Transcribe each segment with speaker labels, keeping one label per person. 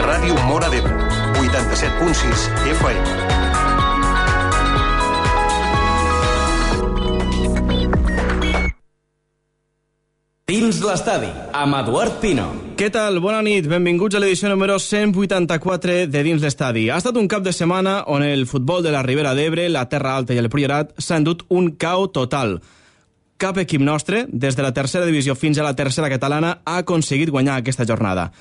Speaker 1: Ràdio Móra d'Ebre, 87.6 FM.
Speaker 2: Dins l'estadi, amb Eduard Pino.
Speaker 3: Què tal? Bona nit, benvinguts a l'edició número 184 de Dins l'estadi. Ha estat un cap de setmana on el futbol de la Ribera d'Ebre, la Terra Alta i el Priorat s'ha endut un cau total. Cap equip nostre, des de la tercera divisió fins a la tercera catalana, ha aconseguit guanyar aquesta jornada.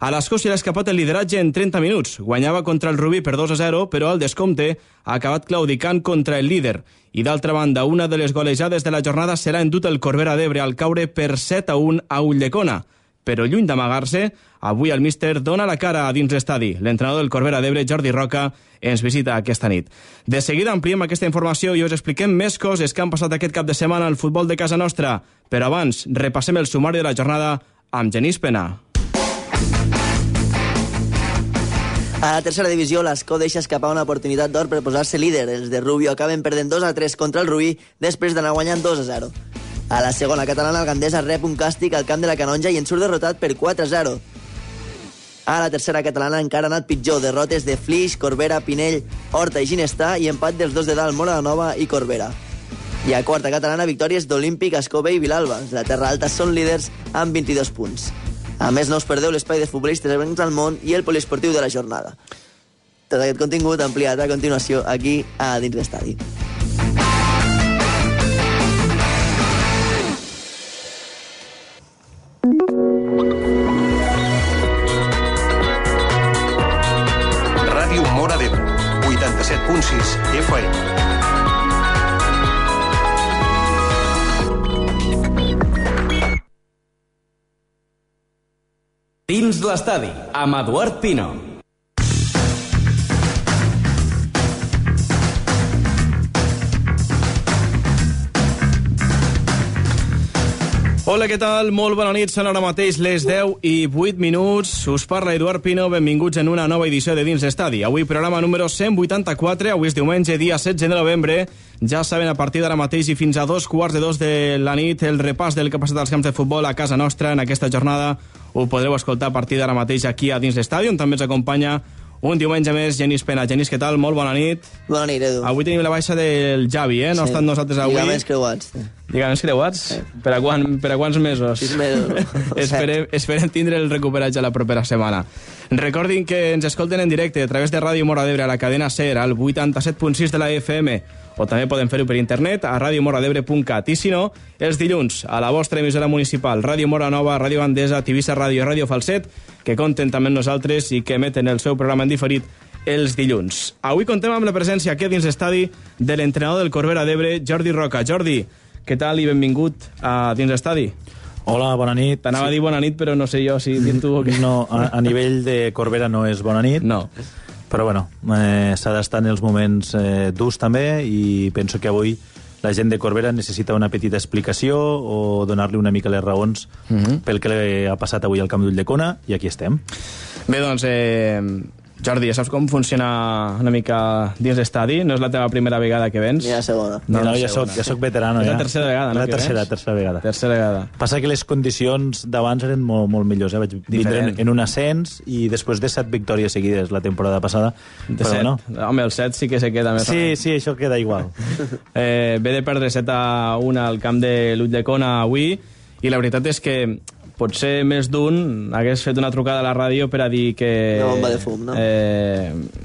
Speaker 3: A l'Escòcia l'ha escapat el lideratge en 30 minuts. Guanyava contra el Rubí per 2-0, però al descompte ha acabat claudicant contra el líder. I d'altra banda, una de les golejades de la jornada serà endut el Corbera d'Ebre al caure per 7-1 a Ulldecona. Però lluny d'amagar-se, avui el míster dona la cara a dins l'estadi. L'entrenador del Corbera d'Ebre, Jordi Roca, ens visita aquesta nit. De seguida ampliem aquesta informació i us expliquem més coses que han passat aquest cap de setmana al futbol de casa nostra. Però abans, repassem el sumari de la jornada amb Genís Pena.
Speaker 4: A la tercera divisió, l'Escó deixa escapar una oportunitat d'or per posar-se líder. Els de Rubio acaben perdent 2-3 contra el Rubí després d'anar guanyant 2-0. A la segona catalana, el Gandesa rep un càstig al camp de la Canonja i en surt derrotat per 4-0. A la tercera catalana encara ha anat pitjor. Derrotes de Flix, Corbera, Pinell, Horta i Ginestà i empat dels dos de dalt, Moranova i Corbera. I a quarta catalana, victòries d'Olímpic, Escó-Bé i Vilalba. La Terra Alta són líders amb 22 punts. A més, no us perdeu l'espai de futbolistes ebrencs al món i el poliesportiu de la jornada. Tot aquest contingut ampliat a continuació aquí a Dins l'Estadi.
Speaker 1: Ràdio Móra d'Ebre, 87.6 FM.
Speaker 2: Dins l'estadi, amb Eduard Pino.
Speaker 3: Hola, què tal? Molt bona nit, són ara mateix les 10 i 8 minuts. Us parla Eduard Pino, benvinguts en una nova edició de Dins l'Estadi. Avui programa número 184, avui és diumenge, dia 16 de novembre. Ja saben, a partir d'ara mateix i fins a 2:45 de la nit, el repàs del que ha passat als camps de futbol a casa nostra en aquesta jornada ho podreu escoltar a partir d'ara mateix aquí a Dins l'Estadi, on també ens acompanya un diumenge més Genís Pena. Genís, què tal? Molt bona nit.
Speaker 4: Bona nit, Edu.
Speaker 3: Avui tenim la baixa del Javi, no ha estat nosaltres avui.
Speaker 4: Lligaments creuats.
Speaker 3: Lligaments creuats? Sí. Per a quants mesos?
Speaker 4: 6 mesos.
Speaker 3: Esperem tindre el recuperatge la propera setmana. Recordin que ens escolten en directe a través de Ràdio Móra d'Ebre a la cadena SER, al 87.6 de la FM, o també poden fer-ho per internet a radiomoradebre.cat. I si no, els dilluns a la vostra emissora municipal, Ràdio Móra Nova, Ràdio Bandesa, Tivissa Ràdio i Ràdio Falset, que compten també amb nosaltres i que emeten el seu programa en diferit els dilluns. Avui contem amb la presència aquí dins l'estadi de l'entrenador del Corbera d'Ebre, Jordi Roca. Jordi, què tal i benvingut a dins l'estadi?
Speaker 5: Hola, bona nit.
Speaker 3: T'anava a dir bona nit, però no sé jo si dir tu o què.
Speaker 5: No, a nivell de Corbera no és bona nit.
Speaker 3: No.
Speaker 5: Però bueno, s'ha d'estar en els moments durs també, i penso que avui la gent de Corbera necessita una petita explicació o donar-li una mica les raons pel que ha passat avui al camp d'Ulldecona, i aquí estem.
Speaker 3: Bé, doncs, Jordi, ja saps com funciona una mica dins l'estadi? No és la teva primera vegada que vens?
Speaker 4: Ja la segona.
Speaker 5: No, ja soc veterano.
Speaker 3: És la tercera vegada, no?
Speaker 5: La tercera vegada.
Speaker 3: Tercera vegada.
Speaker 5: Passa que les condicions d'abans eren molt millors. Vaig vindre en un ascens i després de 7 victòries seguides la temporada passada.
Speaker 3: De 7? No. Home, el 7 sí que se queda més.
Speaker 5: Sí, això queda igual.
Speaker 3: Ve de perdre 7-1 al camp de Ulldecona avui, i la veritat és que potser més d'un hagués fet una trucada a la ràdio per a dir que...
Speaker 4: Una bomba de fum, no?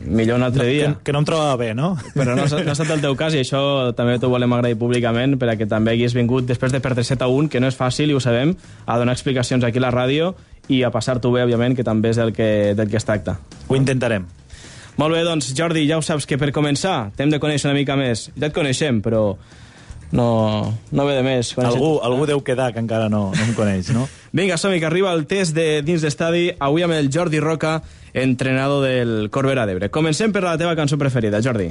Speaker 3: Millor un altre dia.
Speaker 5: Que no em trobava bé, no?
Speaker 3: Però no ha estat el teu cas, i això també t'ho volem agrair públicament, perquè també hagués vingut després de perdre 7-1, que no és fàcil, i ho sabem, a donar explicacions aquí a la ràdio i a passar-t'ho bé, òbviament, que també és del que es tracta.
Speaker 5: Ho intentarem.
Speaker 3: Molt bé, doncs, Jordi, ja ho saps que per començar t'hem de conèixer una mica més. Ja et coneixem, però... No ve de més.
Speaker 5: Algú deu quedar que encara no em coneix, no?
Speaker 3: Vinga, som-hi, que arriba el test de dins l'estadi, avui amb el Jordi Roca, entrenador del Corbera d'Ebre. Comencem per la teva cançó preferida, Jordi.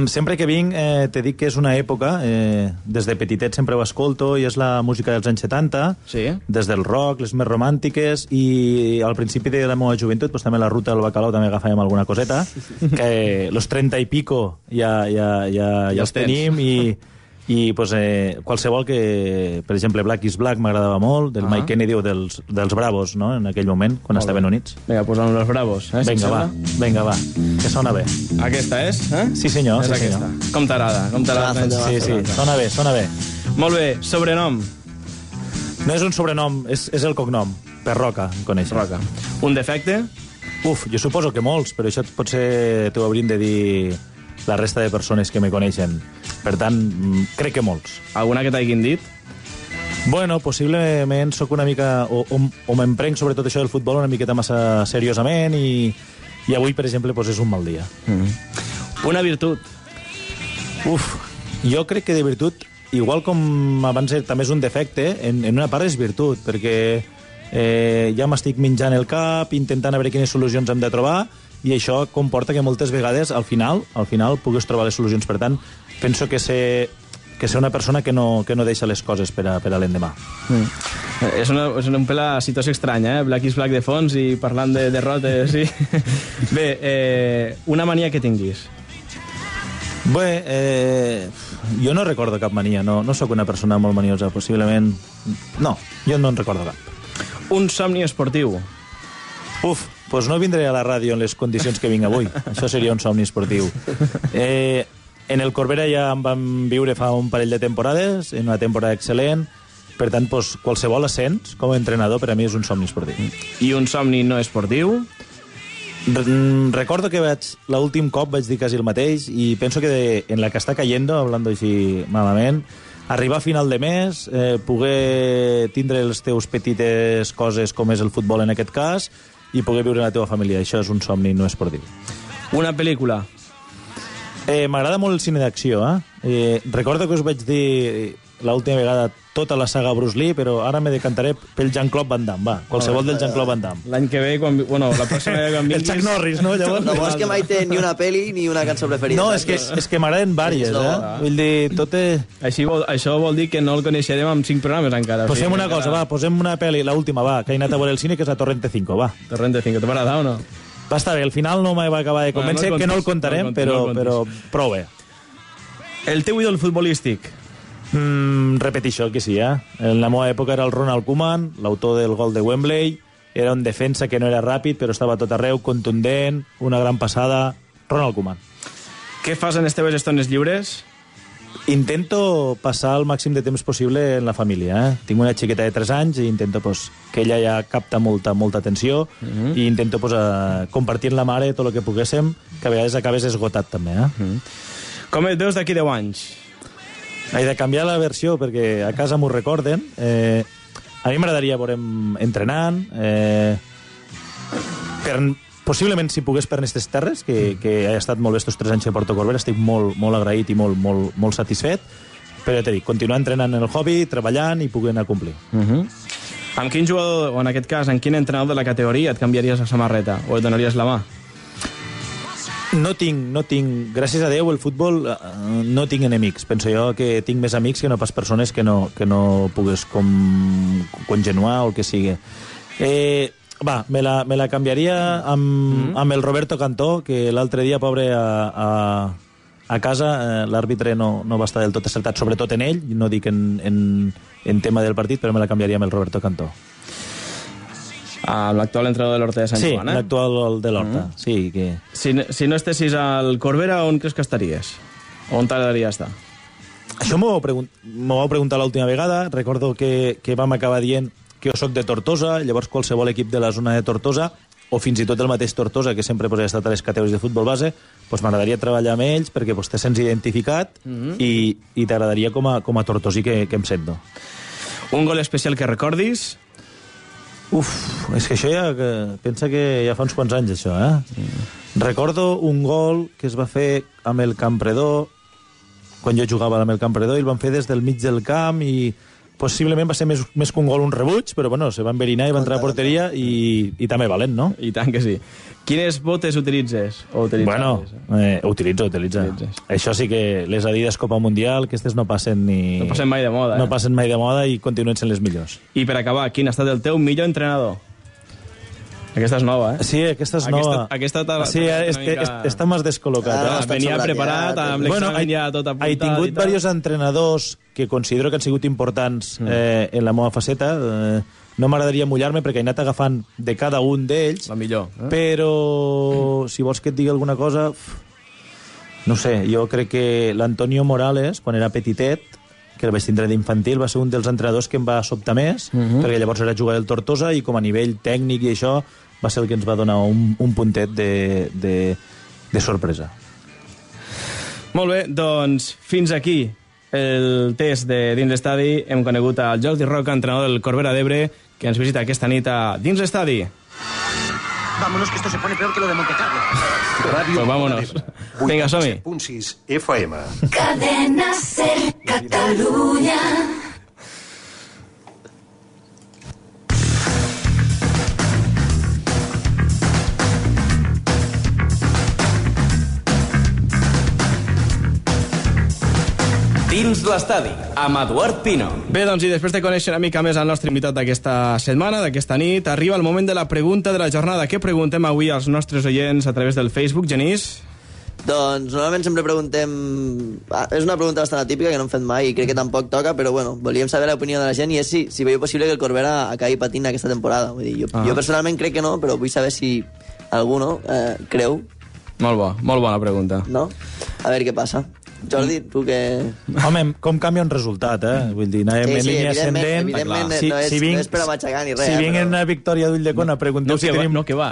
Speaker 5: Sempre que vinc te dic que és una època, des de petitet sempre ho escolto, i és la música dels anys 70,
Speaker 3: sí.
Speaker 5: Des del rock, les més romàntiques, i al principi de la meva joventut doncs, també la ruta del bacalao també agafàvem alguna coseta, que los 30 i pico ja els tenim, i pues, qualsevol que, per exemple, Black is Black m'agradava molt, del Mike Kennedy o dels Bravos, no?, en aquell moment, quan estaven units.
Speaker 3: Vinga, posa'm els Bravos.
Speaker 5: Vinga, va, que sona bé.
Speaker 3: Aquesta és?
Speaker 5: Sí, senyor.
Speaker 3: És
Speaker 5: sí,
Speaker 3: aquesta.
Speaker 5: senyor.
Speaker 3: Com t'agrada?
Speaker 5: Sí, sona bé.
Speaker 3: Molt bé, sobrenom.
Speaker 5: No és un sobrenom, és el cognom. Perroca, em coneix.
Speaker 3: Roca. Un defecte?
Speaker 5: Jo suposo que molts, però això potser t'ho hauríem de dir la resta de persones que me coneixen. Per tant, crec que molts.
Speaker 3: Alguna que t'hagin dit?
Speaker 5: Bueno, possiblement sóc una mica... O m'emprenc sobre tot això del futbol una miqueta massa seriosament i avui, per exemple, pues és un mal dia.
Speaker 3: Una virtut?
Speaker 5: Jo crec que de virtut, igual com abans també és un defecte, en una part és virtut, perquè ja m'estic menjant el cap, intentant a veure quines solucions hem de trobar, i això comporta que moltes vegades, al final puguis trobar les solucions. Per tant, penso que ser una persona que no deixa les coses per a l'endemà.
Speaker 3: És un pel la situació estranya, Black is Black de fons i parlant de derrotes. Sí. Bé, una mania que tinguis.
Speaker 5: Bé, jo no recordo cap mania, no sóc una persona molt maniosa, possiblement... No, jo no en recordo cap.
Speaker 3: Un somni esportiu.
Speaker 5: Doncs no vindré a la ràdio en les condicions que vinc avui. Això seria un somni esportiu. En el Corbera ja em vam viure fa un parell de temporades, en una temporada excel·lent, per tant, qualsevol ascens com a entrenador per a mi és un somni esportiu.
Speaker 3: I un somni no esportiu?
Speaker 5: Recordo que l'últim cop vaig dir quasi el mateix i penso que en la que està cayendo, hablando així malament, arribar a final de mes, poder tindre les teus petites coses com és el futbol en aquest cas i poder viure en la teva família. Això és un somni no esportiu.
Speaker 3: Una pel·lícula?
Speaker 5: M'agrada molt el cine d'acció. Recordo que us vaig dir l'última vegada tota la saga Bruce Lee, però ara me decantaré pel Jean-Claude Van Damme. Va, qualsevol del Jean-Claude Van Damme.
Speaker 3: L'any que ve, la pròxima vegada quan vinguis...
Speaker 5: El Chuck Norris, no? Llavors...
Speaker 4: No és que mai té ni una pel·li ni una cançó preferida.
Speaker 5: No, és que m'agraden vàries, Vull dir, tot és...
Speaker 3: Això vol dir que no el coneixerem amb 5 programes encara.
Speaker 5: Posem una cosa, va, posem una pel·li, l'última, va, que he anat a veure el cine, que és a Torrente 5, va.
Speaker 3: Torrente 5, t'ha agradat o no?
Speaker 5: Va estar bé, al final no me va acabar de convèncer, que no el contarem, però prou bé.
Speaker 3: El teu ídol futbolístic?
Speaker 5: Repeteixo que sí, En la meva època era el Ronald Koeman, l'autor del gol de Wembley, era un defensa que no era ràpid, però estava a tot arreu, contundent, una gran passada... Ronald Koeman.
Speaker 3: Què fas en les teves estones lliures?
Speaker 5: Intento passar el màxim de temps possible en la família. Tinc una xiqueta de 3 anys i intento que ella ja capta molta atenció i intento compartir amb la mare tot el que poguéssim, que a vegades acabes esgotat també.
Speaker 3: Com et veus d'aquí 10 anys?
Speaker 5: He de canviar la versió perquè a casa m'ho recorden. A mi m'agradaria veure'm entrenant, possiblement si pogués per aquestes terres, que he estat molt bé estos 3 anys a Porto Corbera, estic molt agraït i molt satisfet, però ja t'he dit, continuar entrenant en el hobby, treballant i poder anar a complir.
Speaker 3: Amb quin jugador, o en aquest cas, en quin entrenador de la categoria et canviaries la samarreta o et donaries la mà?
Speaker 5: No tinc, gràcies a Déu, el futbol no tinc enemics. Penso jo que tinc més amics que no pas persones que no pugues congenuar o el que sigui. Me la canviaria amb el Roberto Cantó, que l'altre dia, pobre, a casa l'àrbitre no va estar del tot acertat, sobretot en ell, no dic en tema del partit, però me la canviaria amb el Roberto Cantó.
Speaker 3: L'actual entrenador de l'Horta de Sant Joan,
Speaker 5: Sí, l'actual de l'Horta. Sí, que...
Speaker 3: Si no estessis al Corbera, on creus que estaries? On t'agradaria estar?
Speaker 5: Això m'ho vau preguntar l'última vegada. Recordo que vam acabar dient que jo soc de Tortosa, llavors qualsevol equip de la zona de Tortosa, o fins i tot el mateix Tortosa, que sempre ha estat a les categories de futbol base, m'agradaria treballar amb ells perquè te sents identificat i t'agradaria com a tortosí que em sento.
Speaker 3: Un gol especial que recordis?
Speaker 5: És que això pensa que ja fa uns quants anys, això, Recordo un gol que es va fer amb el Campredó, quan jo jugava amb el Campredó, i el van fer des del mig del camp, i possiblement va ser més que un gol, un rebuig, però bueno, se va enverinar i va entrar a porteria, i també valent, no?
Speaker 3: I tant que sí. Quines botes utilitzes?
Speaker 5: Bueno, utilitzo. Això sí que les Adidas Copa Mundial, aquestes no passen ni...
Speaker 3: No passen mai de moda,
Speaker 5: No passen mai de moda i continuen sent les millors.
Speaker 3: I per acabar, quin ha estat el teu millor entrenador? Aquesta és nova, eh?
Speaker 5: Sí, aquesta és nova.
Speaker 3: Aquesta
Speaker 5: sí, està més descol·locat.
Speaker 3: Venia preparat, amb l'examen ja tot apuntat.
Speaker 5: He tingut diversos entrenadors que considero que han sigut importants en la meva faceta. No m'agradaria mullar-me perquè he anat agafant de cada un d'ells.
Speaker 3: La millor.
Speaker 5: Però, si vols que et digui alguna cosa... No sé, jo crec que l'Antonio Morales, quan era petitet, que el vaig tindre d'infantil, va ser un dels entrenadors que em va sobtar més, perquè llavors era jugador del Tortosa i com a nivell tècnic i això va ser el que ens va donar un puntet de sorpresa.
Speaker 3: Molt bé, doncs fins aquí el test de Dins l'Estadi. Hem conegut el Jordi Roca, entrenador del Corbera d'Ebre, que ens visita aquesta nit a Dins l'Estadi.
Speaker 6: Vámonos, que esto se pone peor que lo de Montecarlo.
Speaker 1: Ràdio
Speaker 3: Pues vámonos. Vinga, som-hi.
Speaker 1: 87.6 FM.
Speaker 7: Cadena Ser Catalunya.
Speaker 2: Dins l'estadi, amb Eduard Pino.
Speaker 3: Bé, doncs, i després de conèixer una mica més el nostre invitat d'aquesta setmana, d'aquesta nit, arriba el moment de la pregunta de la jornada. Què preguntem avui als nostres oients a través del Facebook, Genís?
Speaker 4: Doncs normalment sempre preguntem... és una pregunta bastant atípica que no hem fet mai i crec que tampoc toca, però bueno, volíem saber l'opinió de la gent i és si veieu possible que el Corbera acabi patint aquesta temporada. Vull dir, jo personalment crec que no, però vull saber si algú creu.
Speaker 3: Molt bona pregunta.
Speaker 4: No? A veure què passa. Jordi, tu que...
Speaker 5: Home, com canvia un resultat, Vull dir, anem en línia ascendent.
Speaker 4: Evidentment, no és per a matxacar ni res.
Speaker 5: Si vinc en una victòria d'Ulldecona, pregunteu si tenim...
Speaker 3: No, que va.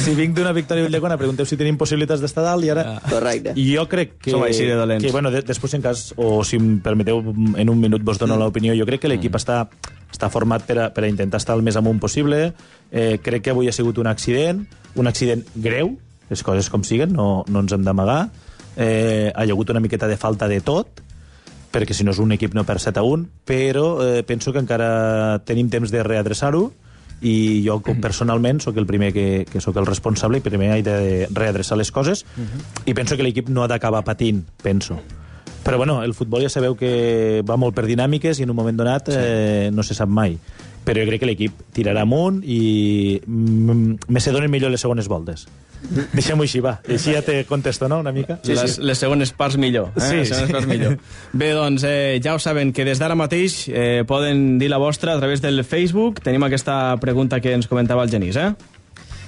Speaker 5: Si vinc d'una victòria d'Ulldecona, pregunteu si tenim possibilitats d'estar dalt i ara...
Speaker 4: Correcte.
Speaker 5: I jo crec que...
Speaker 3: Som així de dolents.
Speaker 5: Que, bueno, després, en cas, o si em permeteu, en un minut vos dono l'opinió, jo crec que l'equip està format per a intentar estar el més amunt possible. Crec que avui ha sigut un accident greu, les coses com siguen, no ens hem d'amagar. Ha hagut una miqueta de falta de tot, perquè si no és un equip no per 7-1, però penso que encara tenim temps de readreçar-ho i jo personalment sóc el primer que sóc el responsable i primer he de readreçar les coses i penso que l'equip no ha d'acabar patint, penso. Però bueno, el futbol ja sabeu que va molt per dinàmiques i en un moment donat no se sap mai. Però jo crec que l'equip tirarà amunt i me se donen millor les segones voltes. Deixem-ho així, va. Així ja te contesto, no?, una mica?
Speaker 3: Sí. Les segones parts millor.
Speaker 5: Sí.
Speaker 3: Parts millor. Bé, doncs, ja ho saben, que des d'ara mateix poden dir la vostra a través del Facebook. Tenim aquesta pregunta que ens comentava el Genís,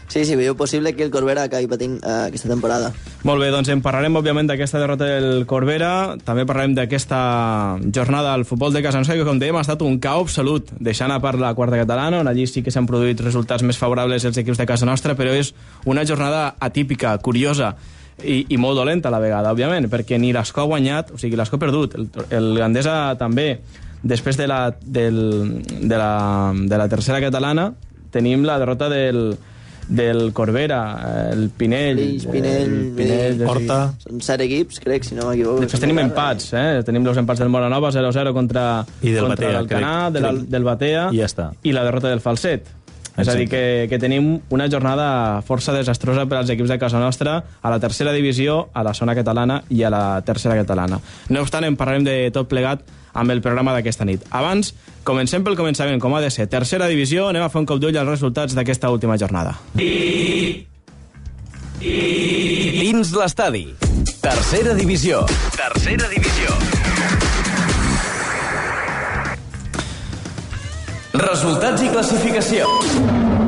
Speaker 4: Sí, veieu possible que el Corbera acabi patint aquesta temporada.
Speaker 3: Molt bé, doncs en parlarem, òbviament, d'aquesta derrota del Corbera. També parlarem d'aquesta jornada al futbol de casa nostra, que, com dèiem, ha estat un caos absolut, deixant a part la quarta catalana, on allí sí que s'han produït resultats més favorables als equips de casa nostra, però és una jornada atípica, curiosa, i molt dolenta a la vegada, òbviament, perquè ni l'Escó ha guanyat, o sigui, l'Escó ha perdut, el Gandesa també. Després de la tercera catalana tenim la derrota del Corbera, el Pinell...
Speaker 5: Horta...
Speaker 4: Són 7 equips, crec, si no m'equivoco.
Speaker 3: Després tenim empats, Tenim els empats del Moranova, 0-0 contra l'Alcanar, del Batea,
Speaker 5: i ja està.
Speaker 3: I la derrota del Falset. És a dir, que tenim una jornada força desastrosa per als equips de casa nostra a la tercera divisió, a la zona catalana i a la tercera catalana. No obstant, en parlarem de tot plegat amb el programa d'aquesta nit. Abans, comencem pel començament, com ha de ser. Tercera divisió, anem a fer un cop d'ull als resultats d'aquesta última jornada.
Speaker 2: Dins l'estadi. Tercera divisió. Resultats i classificació.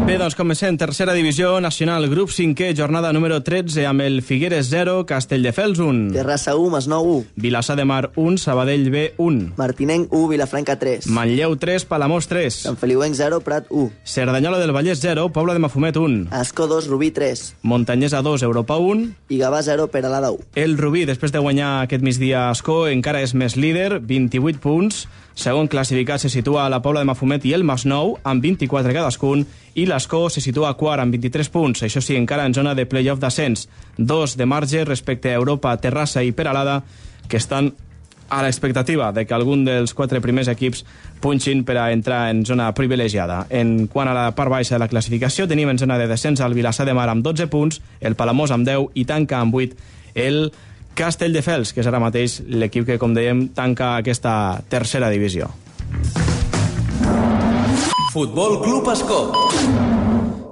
Speaker 3: Bé, doncs comencem. Tercera divisió nacional, grup 5è, jornada número 13, amb el Figueres 0, Castelldefels 1.
Speaker 4: Terrassa 1, Masnou 1.
Speaker 3: Vilassar de Mar 1, Sabadell B 1.
Speaker 4: Martinenc 1, Vilafranca 3.
Speaker 3: Manlleu 3, Palamós 3.
Speaker 4: Sant Feliuenc 0, Prat 1.
Speaker 3: Cerdanyola del Vallès 0, Pobla de Mafumet 1.
Speaker 4: Ascó 2, Rubí 3.
Speaker 3: Montanyesa 2, Europa 1.
Speaker 4: I Gavà 0, Peralada 1.
Speaker 3: El Rubí, després de guanyar aquest migdia a Ascó, encara és més líder, 28 punts. Segon classificat se situa a la Pobla de Mafumet i el Masnou, amb 24 cadascun, i l'Ascó se situa quart amb 23 punts, això sí, encara en zona de play-off d'ascens. 2 de marge respecte a Europa, Terrassa i Peralada, que estan a l'expectativa de que algun dels 4 primers equips punxin per a entrar en zona privilegiada. En quant a la part baixa de la classificació, tenim en zona de descens el Vilassar de Mar amb 12 punts, el Palamós amb 10 i tanca amb 8 el Castelldefels, que és ara mateix l'equip que, com dèiem, tanca aquesta tercera divisió.
Speaker 2: Futbol Club Ascó.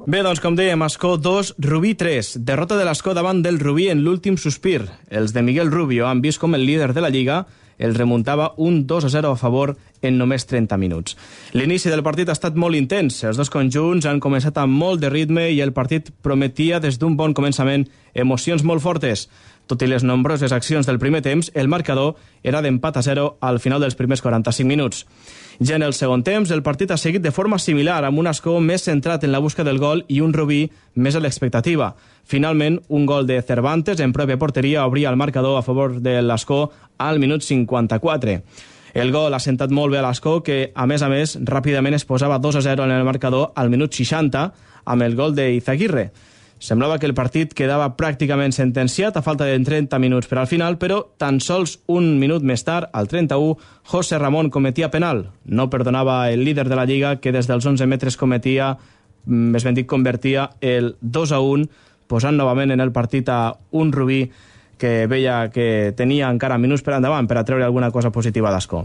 Speaker 3: Bé, doncs, com dèiem, Ascó 2, Rubí 3. Derrota de l'Ascó davant del Rubí en l'últim sospir. Els de Miguel Rubio han vist com el líder de la Lliga el remuntava un 2-0 a favor en només 30 minuts. L'inici del partit ha estat molt intens. Els dos conjunts han començat amb molt de ritme i el partit prometia des d'un bon començament emocions molt fortes. Tot i les nombroses accions del primer temps, el marcador era d'empat a 0 al final dels primers 45 minuts. Ja en el segon temps, el partit ha seguit de forma similar, amb un Ascó més centrat en la busca del gol i un Rubí més a l'expectativa. Finalment, un gol de Cervantes en pròpia porteria obria el marcador a favor de l'Ascó al minut 54. El gol ha sentat molt bé a l'Ascó, que, a més, ràpidament es posava 2-0 en el marcador al minut 60 amb el gol d'Izaguirre. Semblava que el partit quedava pràcticament sentenciat a falta de 30 minuts per al final, però tan sols un minut més tard, al 31, José Ramón cometia penal. No perdonava el líder de la Lliga, que des dels 11 metres convertia el 2-1, posant novament en el partit a un Rubí que veia que tenia encara minuts per endavant per a treure alguna cosa positiva d'Ascó.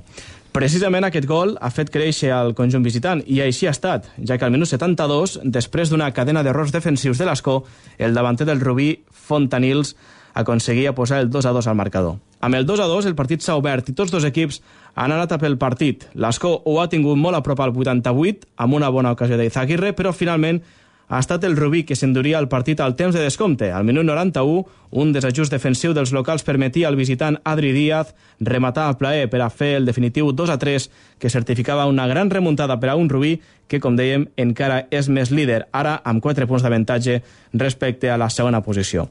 Speaker 3: Precisament aquest gol ha fet créixer al conjunt visitant, i així ha estat, ja que al minut 72, després d'una cadena d'errors defensius de l'Ascó, el davanter del Rubí, Fontanils, aconseguia posar el 2-2 al marcador. Amb el 2-2 el partit s'ha obert i tots dos equips han anat a pel partit. L'Ascó ho ha tingut molt a prop al 88, amb una bona ocasió d'Izaguirre, però finalment ha estat el Rubí que s'enduria el partit al temps de descompte. Al minut 91, un desajust defensiu dels locals permetia al visitant Adri Díaz rematar a plaer per a fer el definitiu 2-3, que certificava una gran remuntada per a un Rubí que, com dèiem, encara és més líder, ara amb 4 punts d'avantatge respecte a la segona posició.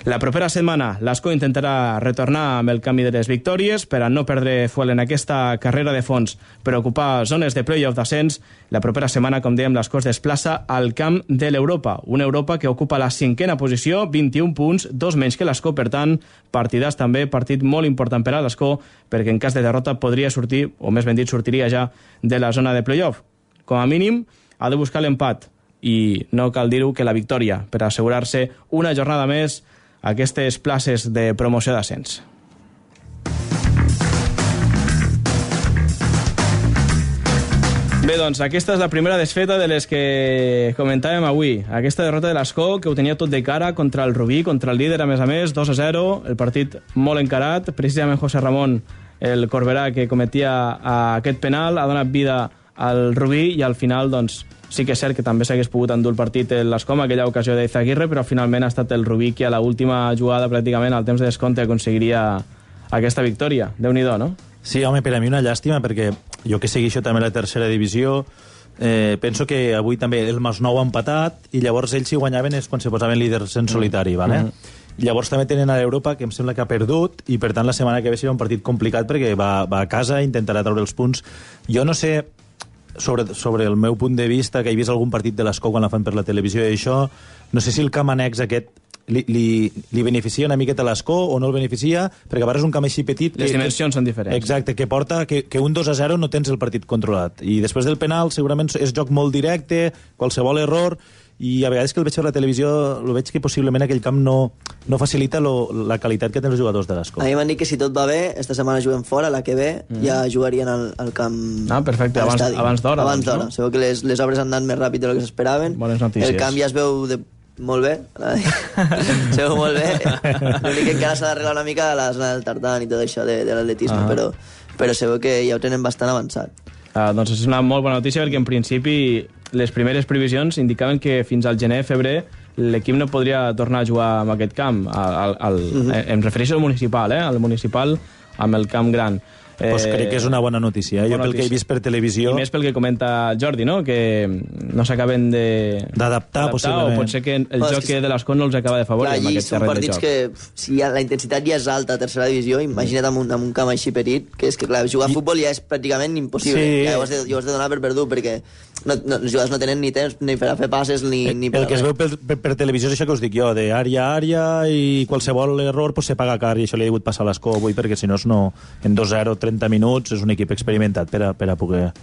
Speaker 3: La propera setmana l'Ascó intentarà retornar amb el camí de les victòries per a no perdre fuel en aquesta carrera de fons per ocupar zones de play-off d'ascens. La propera setmana, com dèiem, l'Ascó es desplaça al camp de l'Europa, una Europa que ocupa la 5a posició, 21 punts, 2 menys que l'Ascó, per tant, partidàs també, partit molt important per a l'Ascó, perquè en cas de derrota podria sortir, o més ben dit, sortiria ja de la zona de play-off. Com a mínim, ha de buscar l'empat, i no cal dir-ho que la victòria, per assegurar-se una jornada més a aquestes places de promoció d'ascens. Bé, doncs, aquesta és la primera desfeta de les que comentàvem avui. Aquesta derrota de l'Ascó, que ho tenia tot de cara contra el Rubí, contra el líder, a més, 2-0, el partit molt encarat. Precisament José Ramón, el Corberà, que cometia aquest penal, ha donat vida al Rubí, i al final, doncs, sí que és cert que també s'hagués pogut endur el partit l'Ascó amb aquella ocasió d'Izaguirre, però finalment ha estat el Rubí que a l'última jugada, pràcticament al temps de descompte, aconseguiria aquesta victòria. Déu-n'hi-do, no?
Speaker 5: Sí, home, per a mi una llàstima, perquè jo que segueixo també la tercera divisió, penso que avui també el Masnou ha empatat, i llavors ells si guanyaven és quan se posaven líders en solitari, ¿vale? I llavors també tenen a l'Europa, que em sembla que ha perdut, i per tant la setmana que ve serà un partit complicat perquè va a casa, intentarà treure els punts. Jo no sé, sobre el meu punt de vista, que he vist algun partit de l'Ascó quan la fan per la televisió i això, no sé si el camp annex aquest li beneficia una miqueta a l'Ascó o no el beneficia, perquè a vegades un camp així petit...
Speaker 3: Les dimensions són diferents.
Speaker 5: Exacte, que porta que un 2-0 no tens el partit controlat. I després del penal segurament és joc molt directe, qualsevol error, i a vegades que el veig per la televisió el veig que possiblement aquell camp no facilita la qualitat que tenen els jugadors de l'Ascó.
Speaker 4: A mi m'han dit que si tot va bé, esta setmana juguem fora, la que ve ja jugarien al camp...
Speaker 3: Ah, perfecte, abans d'hora.
Speaker 4: Abans d'hora. Segur que les obres han anat més ràpid del que s'esperaven.
Speaker 3: Bones notícies.
Speaker 4: El camp ja es veu molt bé. Se veu molt bé. L'únic que encara s'ha d'arreglar una mica a la zona del tartan i tot això de l'atletisme, però se veu que ja ho tenen bastant avançat.
Speaker 3: Doncs és una molt bona notícia, perquè en principi les primeres previsions indicaven que fins al gener-febrer l'equip no podria tornar a jugar en aquest camp. Em refereixo al municipal, al municipal amb el camp gran.
Speaker 5: Pues crec que és una bona notícia. Jo pel que he vist per televisió...
Speaker 3: I més pel que comenta Jordi, no? Que no s'acaben
Speaker 5: d'adaptar, possiblement.
Speaker 3: O pot ser que el joc de l'Ascó no els acaba de favorir amb aquest terreny de joc.
Speaker 4: Són partits que, si la intensitat ja és alta a tercera divisió, imagina't amb un camp així petit, que és que, clar, jugar a futbol ja és pràcticament impossible. Sí. Ja ho has de donar per perdut, perquè els jugadors no tenen ni temps ni per a fer passes ni per
Speaker 5: el que es veu per televisió és això que us dic jo, d'àrea a àrea, i qualsevol error se paga car, i això li ha hagut passar a l'Ascó avui, perquè si no, en 2-0, 30 minuts, és un equip experimentat per a poder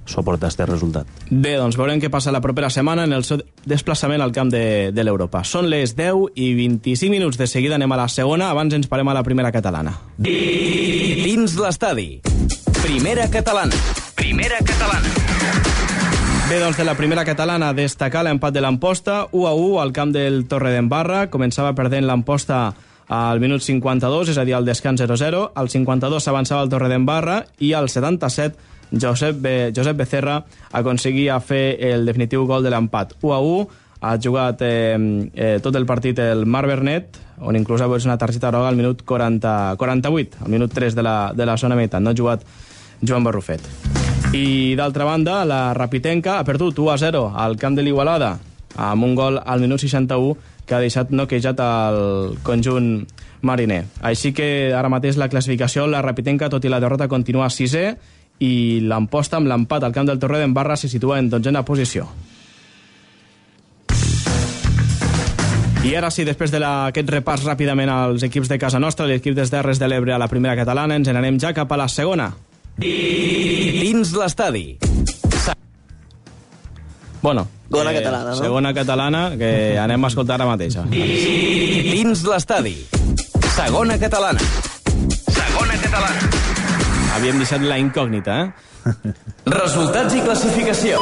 Speaker 5: suportar aquest resultat.
Speaker 3: Bé, doncs veurem què passa la propera setmana en el seu desplaçament al camp de l'Europa. Són les 10 i 25 minuts, de seguida anem a la segona, abans ens parem a la primera catalana.
Speaker 2: Dins l'estadi. Primera catalana. Primera catalana.
Speaker 3: Bé, doncs de la primera catalana destacar l'empat de l'Amposta, 1-1 al camp del Torredembarra. Començava perdent l'Amposta al minut 52, és a dir, al descans 0-0. Al 52 s'avançava el Torredembarra i al 77 Josep Becerra aconseguia fer el definitiu gol de l'empat. 1-1, ha jugat tot el partit el Marc Bernet, on inclús ha vist una targeta groga al minut 48, al minut 3 de la zona meitat. No ha jugat Joan Barrufet. I d'altra banda, la Rapitenca ha perdut 1-0 al camp de l'Igualada, amb un gol al minut 61 que ha deixat noquejat el conjunt mariner. Així que ara mateix la classificació, la Rapitenca, tot i la derrota, continua 6è, i l'Amposta, amb l'empat al camp del Torredembarra, se situa en 12a posició. I ara sí, després d'aquest repàs ràpidament als equips de casa nostra, l'equip des Terres de l'Ebre a la primera catalana, ens n'anem ja cap a la segona.
Speaker 2: Dins l'estadi.
Speaker 3: Bueno,
Speaker 4: Segona catalana, no?
Speaker 3: Segona catalana, que anem a escoltar ara mateixa.
Speaker 2: Dins l'estadi. Segona catalana. Segona catalana.
Speaker 3: Havíem deixat la incògnita,
Speaker 2: Resultats i classificació.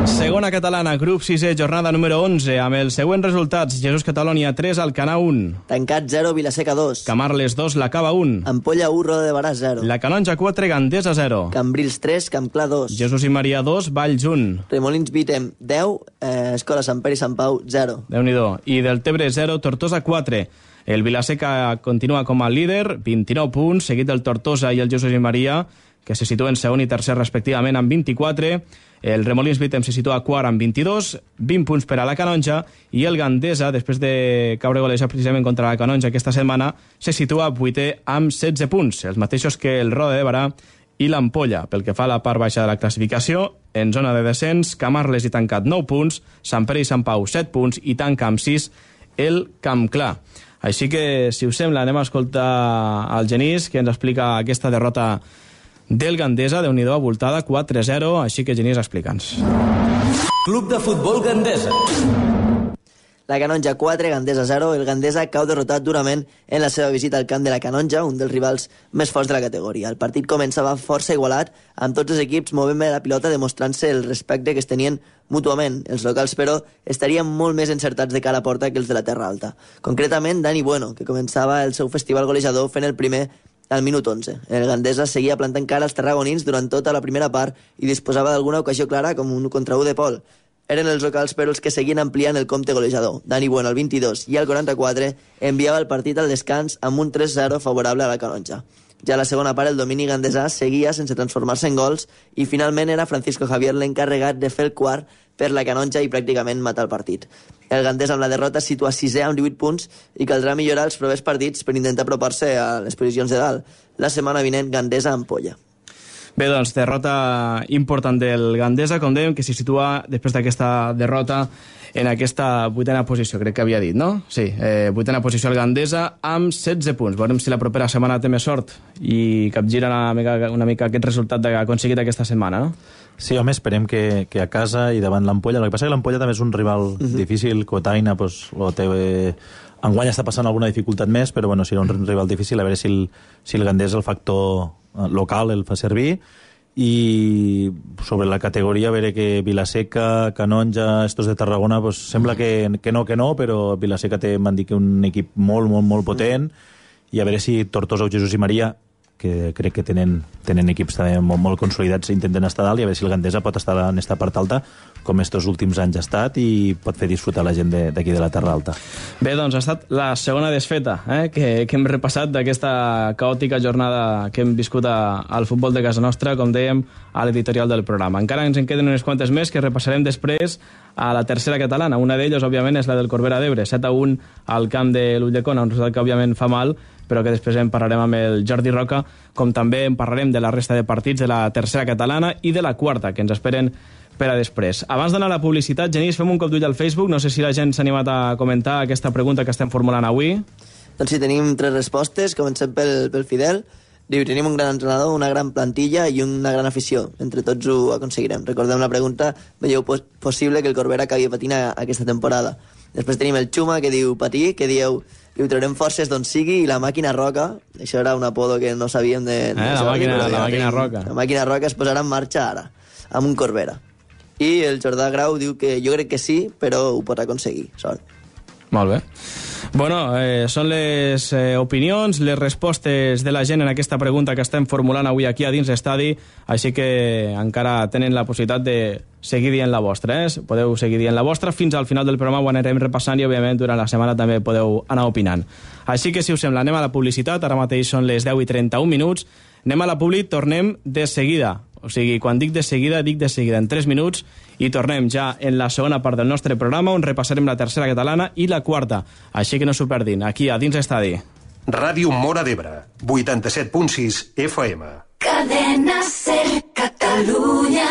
Speaker 3: Segona catalana, grup 6è, jornada número 11, amb els següents resultats: Jesús Catalònia 3, Alcanar 1.
Speaker 4: Tancat 0, Vilaseca 2.
Speaker 3: Camarles 2, La Cava 1.
Speaker 4: Ampolla 1, Roda de Barà 0.
Speaker 3: La Canonja 4, Gandesa 0.
Speaker 4: Cambrils 3, Campclar 2.
Speaker 3: Jesús i Maria 2, Valls 1.
Speaker 4: Remolins Vitem 10, Escola Sant Pere i Sant Pau 0.
Speaker 3: Déu-n'hi-do. I del Tebre 0, Tortosa 4. El Vilaseca continua com a líder, 29 punts, seguit del Tortosa i el Jesús i Maria, que se situen segon i tercer respectivament amb 24. El Remolins Vitem se situa quart amb 22, 20 punts per a la Canonja, i el Gandesa, després de caure golejat precisament contra la Canonja aquesta setmana, se situa 8è amb 16 punts, els mateixos que el Roda de Barà i l'Ampolla. Pel que fa a la part baixa de la classificació, en zona de descens, Camarles i tancat 9 punts, Sant Pere i Sant Pau 7 punts i tanca amb 6 el Campclar. Així que, si us sembla, anem a escoltar el Genís, que ens explica aquesta derrota del Gandesa, Déu-n'hi-do, abultada, 4-0, així que Genís, explica'ns.
Speaker 2: Club de futbol Gandesa.
Speaker 4: La Canonja 4, Gandesa 0. El Gandesa cau derrotat durament en la seva visita al camp de la Canonja, un dels rivals més forts de la categoria. El partit començava força igualat, amb tots els equips movent bé la pilota, demostrant-se el respecte que es tenien mútuament. Els locals, però, estarien molt més encertats de cara a porta que els de la Terra Alta. Concretament, Dani Bueno, que començava el seu festival golejador fent el primer al minut 11. El Gandesa seguia plantant cara als tarragonins durant tota la primera part i disposava d'alguna ocasió clara, com un contra 1 de Pol. Eren els locals, però, els que seguien ampliant el compte golejador. Dani Bueno, al 22 i al 44, enviava el partit al descans amb un 3-0 favorable a la Canonja. Ja a la segona part, el domini gandesà seguia sense transformar-se en gols i finalment era Francisco Javier l'encarregat de fer el quart per la Canonja i pràcticament matar el partit. El Gandesa, amb la derrota, es situa 6è amb 18 punts i caldrà millorar els propers partits per intentar apropar-se a les posicions de dalt. La setmana vinent, Gandesa Ampolla.
Speaker 3: Bé, doncs, derrota important del Gandesa, com dèiem, que s'hi situa després d'aquesta derrota en aquesta 8a posició, crec que havia dit, no? Sí, 8a posició el Gandesa amb 16 punts. Veurem si la propera setmana té més sort i capgira una mica aquest resultat que ha aconseguit aquesta setmana, no?
Speaker 5: Sí, home, esperem que a casa i davant l'Ampolla. El que passa és que l'Ampolla també és un rival difícil, Cotaina, pues, enguany està passant alguna dificultat més, però bueno, serà un rival difícil, a veure si el Gandesa, el factor local, el fa servir. I sobre la categoria, a veure que Vilaseca, Canonja, estos de Tarragona, pues, sembla que no, però Vilaseca m'han dit que un equip molt, molt, molt potent, i a veure si Tortosa o Jesús i Maria, que crec que tenen equips també molt consolidats, intenten estar dalt, i a veure si el Gandesa pot estar en esta part alta, com estos últims anys ha estat, i pot fer disfrutar la gent d'aquí de la Terra Alta.
Speaker 3: Bé, doncs ha estat la segona desfeta que hem repassat d'aquesta caòtica jornada que hem viscut al futbol de casa nostra, com dèiem, a l'editorial del programa. Encara ens en queden unes quantes més que repassarem després a la tercera catalana. Una d'elles, òbviament, és la del Corbera d'Ebre, 7-1 al camp de l'Ulldecona, un resultat que, òbviament, fa mal, però que després en parlarem amb el Jordi Roca, com també en parlarem de la resta de partits de la tercera catalana i de la quarta, que ens esperen per a després. Abans d'anar a la publicitat, Genís, fem un cop d'ull al Facebook. No sé si la gent s'ha animat a comentar aquesta pregunta que estem formulant avui.
Speaker 4: Doncs sí, tenim 3 respostes. Comencem pel Fidel. Diu, tenim un gran entrenador, una gran plantilla i una gran afició. Entre tots ho aconseguirem. Recordem la pregunta, veieu possible que el Corbera acabi patint aquesta temporada? Després tenim el Xuma, que diu patir, que diu traurem forces d'on sigui, i la màquina Roca, això era un apodo que no sabíem de
Speaker 3: la màquina Roca.
Speaker 4: La màquina Roca es posarà en marxa ara, amb un Corbera. I el Jordà Grau diu que jo crec que sí, però ho pot aconseguir. Sort.
Speaker 3: Molt bé. Bueno, són les opinions, les respostes de la gent en aquesta pregunta que estem formulant avui aquí a dins l'estadi, així que encara tenen la possibilitat de seguir dient la vostra. Podeu seguir dient la vostra fins al final del programa, ho anirem repassant i, òbviament, durant la setmana també podeu anar opinant. Així que, si us sembla, anem a la publicitat. Ara mateix són les 10:31 minuts. Anem a la publi, tornem de seguida. O sigui, quan dic de seguida en 3 minuts, i tornem ja en la segona part del nostre programa, on repassarem la tercera catalana i la quarta. Així que no s'ho perdin, aquí a dins l'estadi.
Speaker 1: Ràdio Móra d'Ebre, 87.6 FM.
Speaker 7: Cadena Ser Catalunya.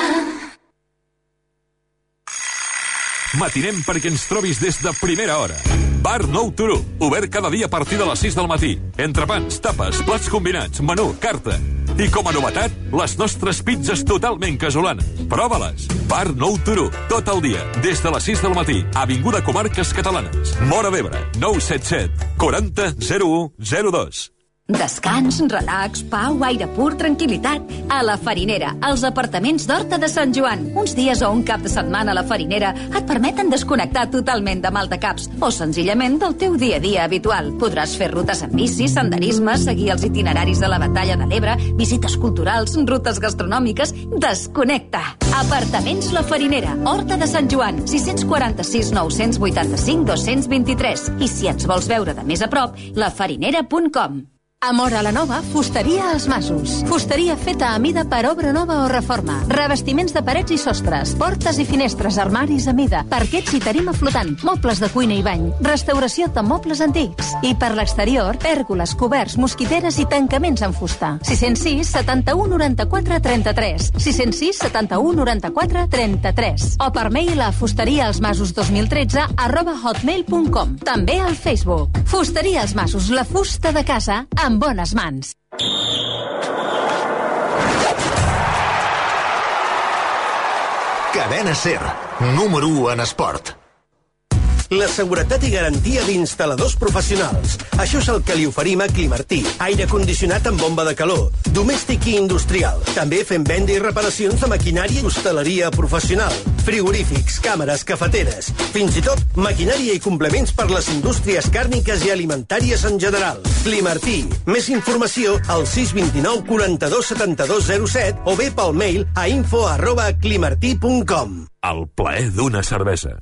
Speaker 8: Matinem perquè ens trobis des de primera hora. Bar Nou Turó, obert cada dia a partir de les 6 del matí. Entrepans, tapes, plats combinats, menú, carta. I com a novetat, les nostres pizzas totalment casolanes. Prova-les. Bar Nou Turó, tot el dia, des de les 6 del matí. Avinguda Comarques Catalanes. Móra d'Ebre, 977 40 01 02.
Speaker 9: Descans, relax, pau, aire pur, tranquil·litat. A la Farinera, als apartaments d'Horta de Sant Joan. Uns dies o un cap de setmana a la Farinera et permeten desconnectar totalment de maldecaps o senzillament del teu dia a dia habitual. Podràs fer rutes en bici, senderisme, seguir els itineraris de la Batalla de l'Ebre, visites culturals, rutes gastronòmiques. Desconnecta! Apartaments La Farinera, Horta de Sant Joan, 646 985 223. I si ens vols veure de més a prop, lafarinera.com.
Speaker 10: A Móra la Nova, fusteria als Masos. Fusteria feta a mida per obra nova o reforma. Revestiments de parets i sostres, portes i finestres, armaris a mida, parquets i tarima flotant, mobles de cuina i bany, restauració de mobles antics. I per l'exterior, pèrgoles, coberts, mosquiteres i tancaments en fusta. 606 71 94 33. 606 71 94 33. O per mail a fusteriaalsmasos2013 @hotmail.com. També al Facebook. Fusteria als Masos, la fusta de casa en bones mans.
Speaker 11: Cadena Ser, número 1 en esport.
Speaker 12: La seguretat i garantia d'instal·ladors professionals. Això és el que li oferim a Climartí. Aire condicionat amb bomba de calor, domèstic i industrial. També fem venda i reparacions de maquinària i hostaleria professional. Frigorífics, càmeres, cafeteres. Fins i tot maquinària i complements per les indústries càrniques i alimentàries en general. Climartí. Més informació al 629 42 72 07 o bé pel mail a info@climartí.com.
Speaker 8: El plaer d'una cervesa.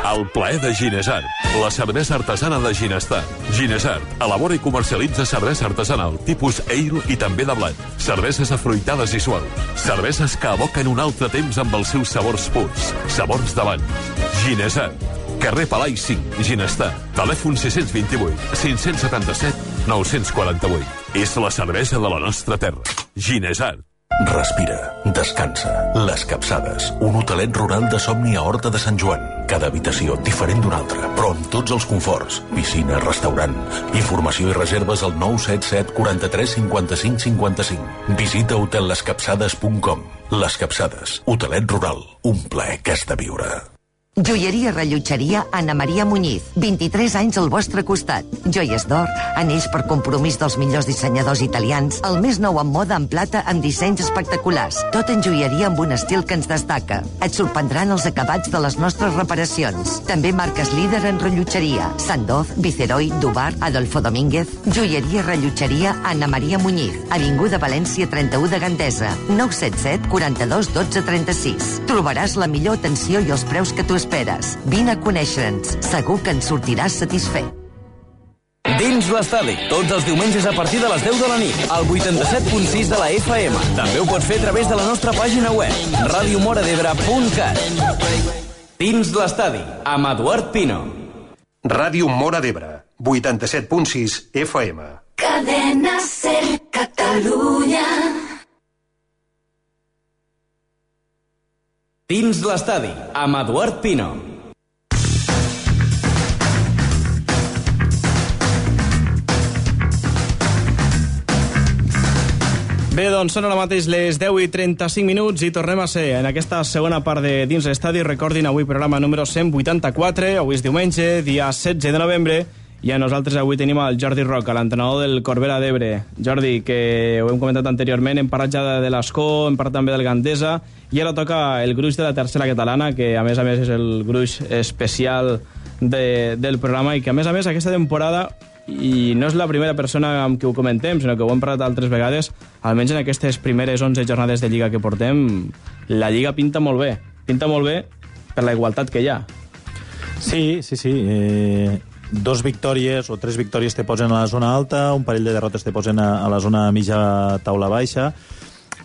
Speaker 8: El plaer de Ginesart, la cervesa artesana de Ginestar. Ginesart elabora i comercialitza cervesa artesanal, tipus ale i també de blat. Cerveses afruitades i suaus. Cerveses que evoquen un altre temps amb els seus sabors purs. Sabors d'abans. Ginesart. Carrer Palai 5, Ginestar. Telèfon 628 577 948. És la cervesa de la nostra terra. Ginesart.
Speaker 11: Respira, descansa. Les Capçades, un hotelet rural de somni a Horta de Sant Joan. Cada habitació diferent d'una altra, però amb tots els conforts. Piscina, restaurant. Informació i reserves al 977 43 55 55. Visita hotellescapçades.com. Les Capçades, hotelet rural. Un plaer que has de viure.
Speaker 13: Joieria Rellotgeria Anna Maria Muñiz. 23 anys al vostre costat. Joies d'or, anells per compromís dels millors dissenyadors italians, el més nou en moda en plata amb dissenys espectaculars. Tot en joieria amb un estil que ens destaca. Et sorprendran els acabats de les nostres reparacions. També marques líder en rellotgeria. Sandoz, Viceroy, Dubar, Adolfo Domínguez. Joieria Rellotgeria Anna Maria Muñiz. Avinguda València 31 de Gandesa. 977 42 12 36. Trobaràs la millor atenció i els preus que tu esperes. Vine a conèixer-nos. Segur que ens sortiràs satisfet.
Speaker 2: Dins l'estadi, tots els diumenges a partir de les 10 de la nit, al 87.6 de la FM. També ho pots fer a través de la nostra pàgina web, radiomoradebre.cat. Dins l'estadi, amb Eduard Pino.
Speaker 1: Ràdio Móra d'Ebre, 87.6 FM.
Speaker 7: Cadena Ser Catalunya.
Speaker 2: Dins l'estadi, amb Eduard Pino.
Speaker 3: Bé, doncs són ara mateix les 10:35 minuts i tornem a ser en aquesta segona part de Dins l'estadi. Recordin, avui programa número 184, avui és diumenge, dia 16 de novembre, I a nosaltres avui tenim el Jordi Roca, l'entrenador del Corbera d'Ebre. Jordi, que ho hem comentat anteriorment, hem parlat ja de l'Escó, hem parlat també del Gandesa, i ara toca el gruix de la tercera catalana, que a més és el gruix especial del programa, i que a més aquesta temporada, i no és la primera persona amb qui ho comentem, sinó que ho hem parlat altres vegades, almenys en aquestes primeres 11 jornades de Lliga que portem, la Lliga pinta molt bé per la igualtat que hi ha.
Speaker 5: Sí. 2 victòries o 3 victòries te posen a la zona alta, un parell de derrotes te posen a la zona mitja taula baixa,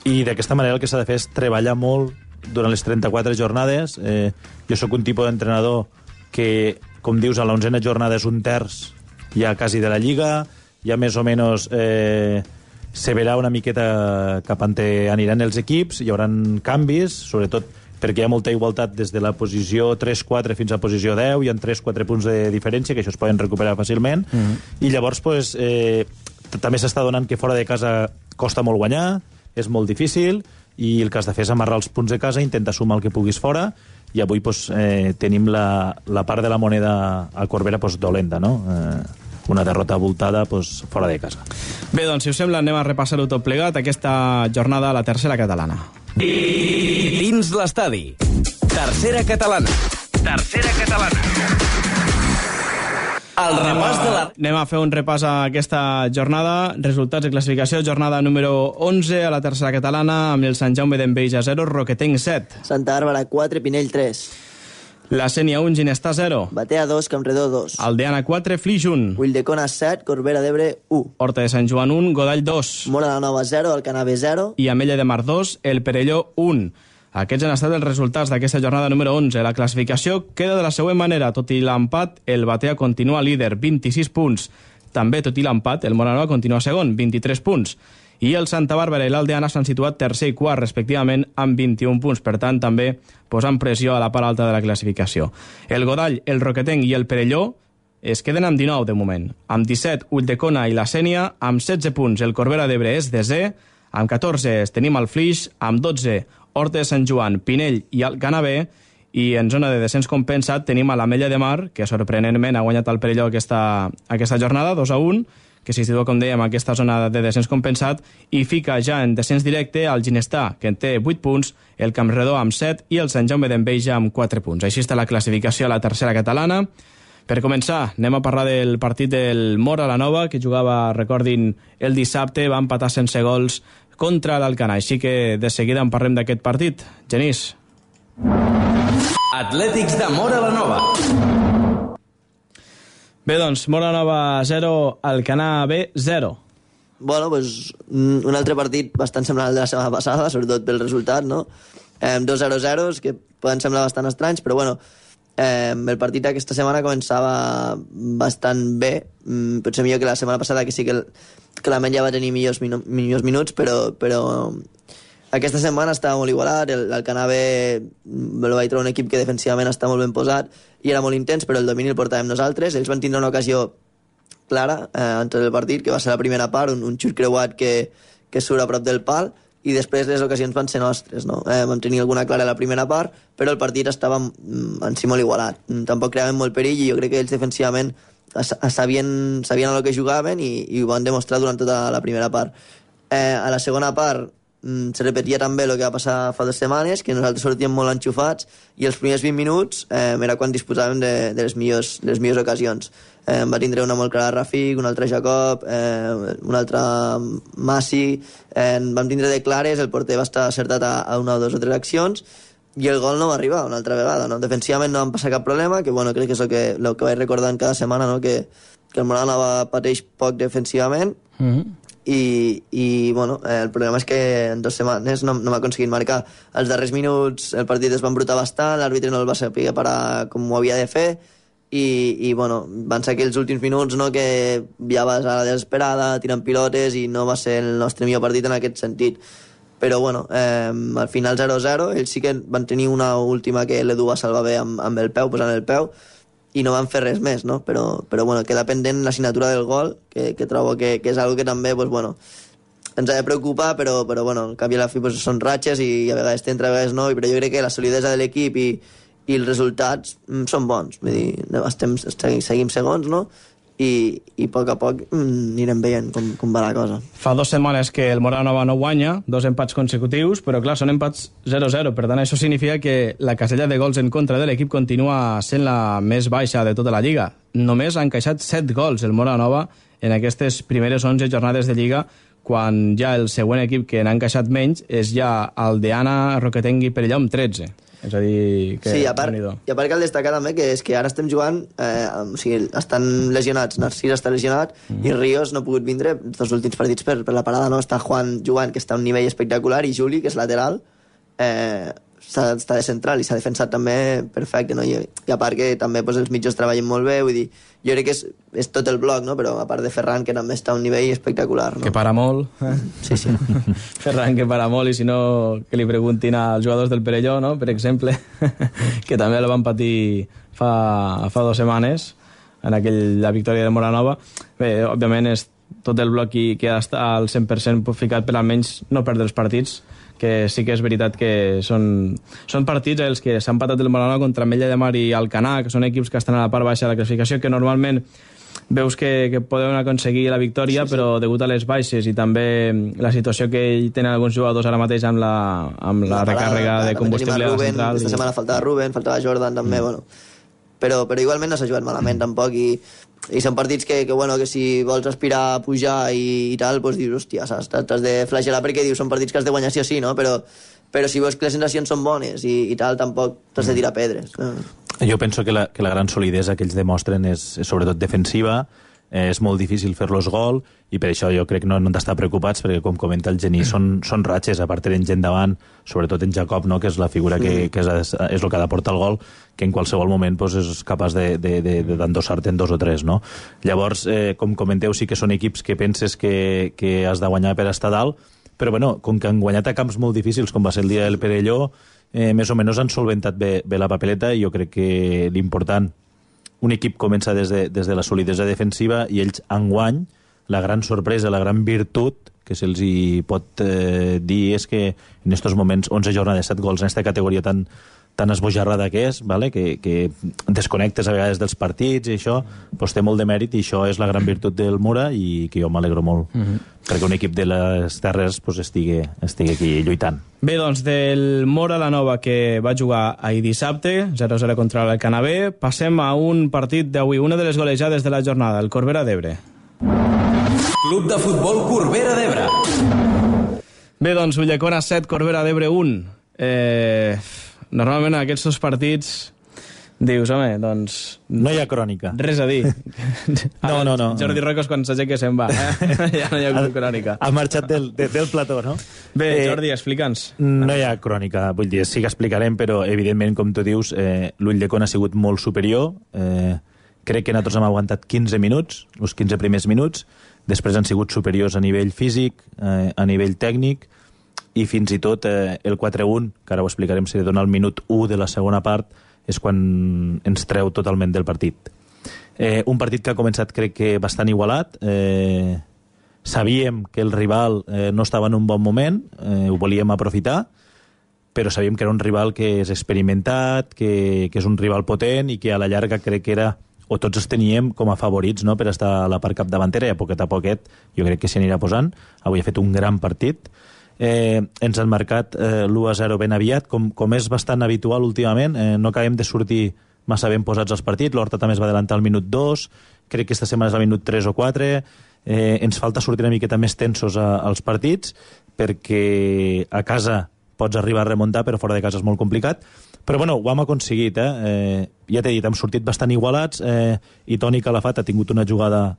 Speaker 5: i d'aquesta manera el que s'ha de fer és treballar molt durant les 34 jornades. Jo sóc un tipus d'entrenador que, com dius, a l'11a jornada és un terç ja quasi de la Lliga, ja més o menys se verà una miqueta cap on aniran els equips, hi haurà canvis, sobretot perquè hi ha molta igualtat des de la posició 3-4 fins a posició 10, hi ha 3-4 punts de diferència, que això es poden recuperar fàcilment, i llavors també s'està donant que fora de casa costa molt guanyar, és molt difícil, i el que has de fer és amarrar els punts de casa, intentar sumar el que puguis fora, i avui tenim la part de la moneda a Corbera dolenta, no? Una derrota abultada fora de casa.
Speaker 3: Bé, doncs, si us sembla, anem a repassar-ho tot plegat, aquesta jornada a la tercera catalana.
Speaker 2: Dins l'estadi. Tercera catalana. El repàs de la...
Speaker 3: Anem a fer un repàs a aquesta jornada. Resultats de classificació, jornada número 11 a la tercera catalana, amb el Sant Jaume d'Enveja 0, Roquetenc 7.
Speaker 4: Santa Bàrbara 4, Pinell 3.
Speaker 3: La Sénia 1, Ginestar 0.
Speaker 4: Batea 2, Campredó 2.
Speaker 3: Aldeana 4, Flix 1.
Speaker 4: Ulldecona 7, Corbera d'Ebre 1.
Speaker 3: Horta de Sant Joan 1, Godall 2.
Speaker 4: Mora la Nova 0, Alcanave 0.
Speaker 3: I Ametlla de Mar 2, El Perelló 1. Aquests han estat els resultats d'aquesta jornada número 11. La classificació queda de la següent manera. Tot i l'empat, el Batea continua líder, 26 punts. També, tot i l'empat, el Moranova continua segon, 23 punts. I el Santa Bàrbara i l'Aldeana s'han situat tercer i quart, respectivament, amb 21 punts. Per tant, també posant pressió a la part alta de la classificació. El Godall, el Roquetenc i el Perelló es queden amb 19 de moment. Amb 17, Ulldecona i la Sénia, amb 16 punts. El Corbera d'Ebre és desè, amb 14 tenim el Flix, amb 12 Horta de Sant Joan, Pinell i Alcanave, i en zona de descens compensat tenim a l'Ametlla de Mar, que sorprenentment ha guanyat el Perelló aquesta jornada, 2-1, que s'hi situa, com dèiem, aquesta zona de descens compensat, i fica ja en descens directe el Ginestar, que en té 8 punts, el Campredó amb 7 i el Sant Jaume d'Enveja amb 4 punts. Així està la classificació a la tercera catalana. Per començar, anem a parlar del partit del Mora la Nova, que jugava, recordin, el dissabte, va empatar sense gols contra l'Alcanar. Així que de seguida en parlem d'aquest partit. Genís.
Speaker 2: Atlètics de Mora la Nova.
Speaker 3: Bé, doncs, Mora la Nova 0, Alcanar B 0.
Speaker 4: Bueno, pues un altre partit bastant semblant al de la setmana passada, sobretot pel resultat, no? 2-0-0, que poden semblar bastant estranys, però bueno, el partit d'aquesta setmana començava bastant bé, potser millor que la setmana passada, que sí que la Menya va tenir millors minuts, però aquesta setmana estava molt igualat. L'Alcanave va trobar un equip que defensivament està molt ben posat i era molt intens, però el domini el portàvem nosaltres. Ells van tindre una ocasió clara antes del partit, que va ser la primera part, un xut creuat que surt a prop del pal, i després les ocasions van ser nostres, no? Vam tenir alguna clara a la primera part, però el partit estava en si molt igualat. Tampoc creaven molt perill, i jo crec que ells defensivament sabien a lo que jugaven i ho van demostrar durant tota la primera part. A la segona part se repetia també el que va passar fa 2 setmanes, que nosaltres sortíem molt enxufats, i els primers 20 minuts era quan disposàvem de les millors ocasions. Va tindre una molt clara Rafik, una altra Jacob, una altra Massi, vam tindre de clares, el porter va estar acertat a una o 2 o 3 accions, i el gol no va arribar una altra vegada, no? Defensivament no van passar cap problema, que bueno, crec que és el que vaig recordant cada setmana, no? que el Moranova pateix poc defensivament, i bueno, el problema és que en 2 setmanes no m'ha aconseguit marcar. Els darrers minuts el partit es va embrutar bastant, l'àrbitre no el va saber parar com ho havia de fer, i bueno, van ser aquells últims minuts, no?, que ja vas a la desesperada tirant pilotes, i no va ser el nostre millor partit en aquest sentit. Però bueno, al final 0-0, ells sí que van tenir una última que l'Edu va salvar bé amb el peu, posant el peu, i no van fer res més, no? Però bueno, queda pendent la signatura del gol, que trobo que és algo que també, pues, bueno, ens ha de preocupar, però bueno, al cap i a la fi pues, són ratxes, i a vegades t'entra, a vegades no, però jo crec que la solidesa de l'equip i els resultats són bons. Vull dir, seguim segons, no? i a poc anirem veient com va la cosa.
Speaker 3: Fa 2 setmanes que el Moranova no guanya, 2 empats consecutius, però clar, són empats 0-0, per tant això significa que la casella de gols en contra de l'equip continua sent la més baixa de tota la Lliga. Només ha encaixat 7 gols el Moranova en aquestes primeres 11 jornades de Lliga, quan ja el següent equip que n'ha encaixat menys és ja el d'Anna Roquetenc i Perelló amb 13. És a dir, que...
Speaker 4: Sí, a part cal destacar també que és que ara estem jugant, o sigui, estan lesionats, Narcís està lesionat i Ríos no ha pogut vindre els últims partits per la parada, no? Està Juan jugant, que està a un nivell espectacular, i Juli, que és lateral, està de central i s'ha defensat també perfecte, no? I a part que també els mitjos treballen molt bé, vull dir, jo crec que és tot el bloc, no? Però a part de Ferran, que també està a un nivell espectacular, no?
Speaker 3: Que para molt.
Speaker 4: Sí.
Speaker 3: Ferran, que para molt, i si no, que li preguntin als jugadors del Perelló, no? Per exemple, que també el van patir fa 2 setmanes, en la victòria de Moranova. Bé, òbviament és tot el bloc que ha d'estar al 100% ficat per almenys no perdre els partits, que sí que és veritat que són partits els que s'han patat el Moranova contra Ametlla de Mar i Alcanar, que són equips que estan a la part baixa de la classificació, que normalment veus que poden aconseguir la victòria, sí. Però degut a les baixes i també la situació que tenen alguns jugadors ara mateix amb la recàrrega de combustible a la central.
Speaker 4: Aquesta setmana faltava Ruben, faltava Jordan també, bueno. Però igualment no s'ha jugat malament tampoc, i són partits que si vols aspirar a pujar i tal, doncs dius, hòstia, t'has de flagelar perquè dius, són partits que has de guanyar sí o sí, no? Però si veus que les sensacions són bones i tal, tampoc t'has de tirar pedres.
Speaker 5: Jo penso que la gran solidesa que ells demostren és sobretot defensiva, és molt difícil fer-los gol, i per això jo crec que no han d'estar preocupats, perquè com comenta el Genís, són ratxes, a part tenen gent davant, sobretot en Jacob, no? Que és la figura que és el que ha d'aportar el gol, que en qualsevol moment és capaç d'endossar-te en 2 o 3, no? Llavors, com comenteu, sí que són equips que penses que has de guanyar per estar dalt, però bueno, com que han guanyat a camps molt difícils, com va ser el dia del Perelló, més o menys han solventat bé la papeleta, i jo crec que l'important, un equip comença des de la solidesa defensiva, i ells enguany, la gran sorpresa, la gran virtut que se'ls hi pot dir és que en aquests moments 11 jornades, 7 gols en aquesta categoria tan esbojarrada que és, vale? Que desconnectes a vegades dels partits i això, doncs té molt de mèrit, i això és la gran virtut del Mura, i que jo m'alegro molt perquè un equip de les Terres estigui aquí lluitant.
Speaker 3: Bé, doncs del Mora la Nova, que va jugar ahir dissabte 0-0 contra el Canabé, passem a un partit d'avui, una de les golejades de la jornada, el Corbera d'Ebre.
Speaker 2: Club de futbol Corbera d'Ebre.
Speaker 3: Bé, doncs Ulldecona 7, Corbera d'Ebre 1. Normalment en aquests 2 partits dius, home, doncs...
Speaker 5: No hi ha crònica.
Speaker 3: Res a dir.
Speaker 5: No.
Speaker 3: Jordi Rocos quan s'aixeca se'n va. Ja no hi ha crònica.
Speaker 5: Ha marxat del plató, no?
Speaker 3: Bé, Jordi, explica'ns.
Speaker 5: No hi ha crònica, vull dir, sí que explicarem, però evidentment, com tu dius, l'Ulldecona ha sigut molt superior. Crec que nosaltres hem aguantat 15 minuts, els 15 primers minuts, després han sigut superiors a nivell físic, a nivell tècnic, i fins i tot el 4-1, que ara ho explicarem, si dona el minut 1 de la segona part, és quan ens treu totalment del partit. Un partit que ha començat, crec que, bastant igualat. Sabíem que el rival no estava en un bon moment, ho volíem aprofitar, però sabíem que era un rival que és experimentat, que és un rival potent, i que a la llarga crec que era, o tots els teníem com a favorits, no?, per estar a la part capdavantera, i a poquet jo crec que s'hi anirà posant. Avui ha fet un gran partit. Ens han marcat l'1-0 ben aviat, com és bastant habitual últimament. No acabem de sortir massa ben posats als partits. L'Horta també es va adelantar al minut 2, crec que aquesta setmana és al minut 3 o 4. Ens falta sortir una miqueta més tensos als partits, perquè a casa pots arribar a remuntar, però fora de casa és molt complicat. Però bueno, ho hem aconseguit, ja t'he dit, hem sortit bastant igualats, i Toni Calafat ha tingut una jugada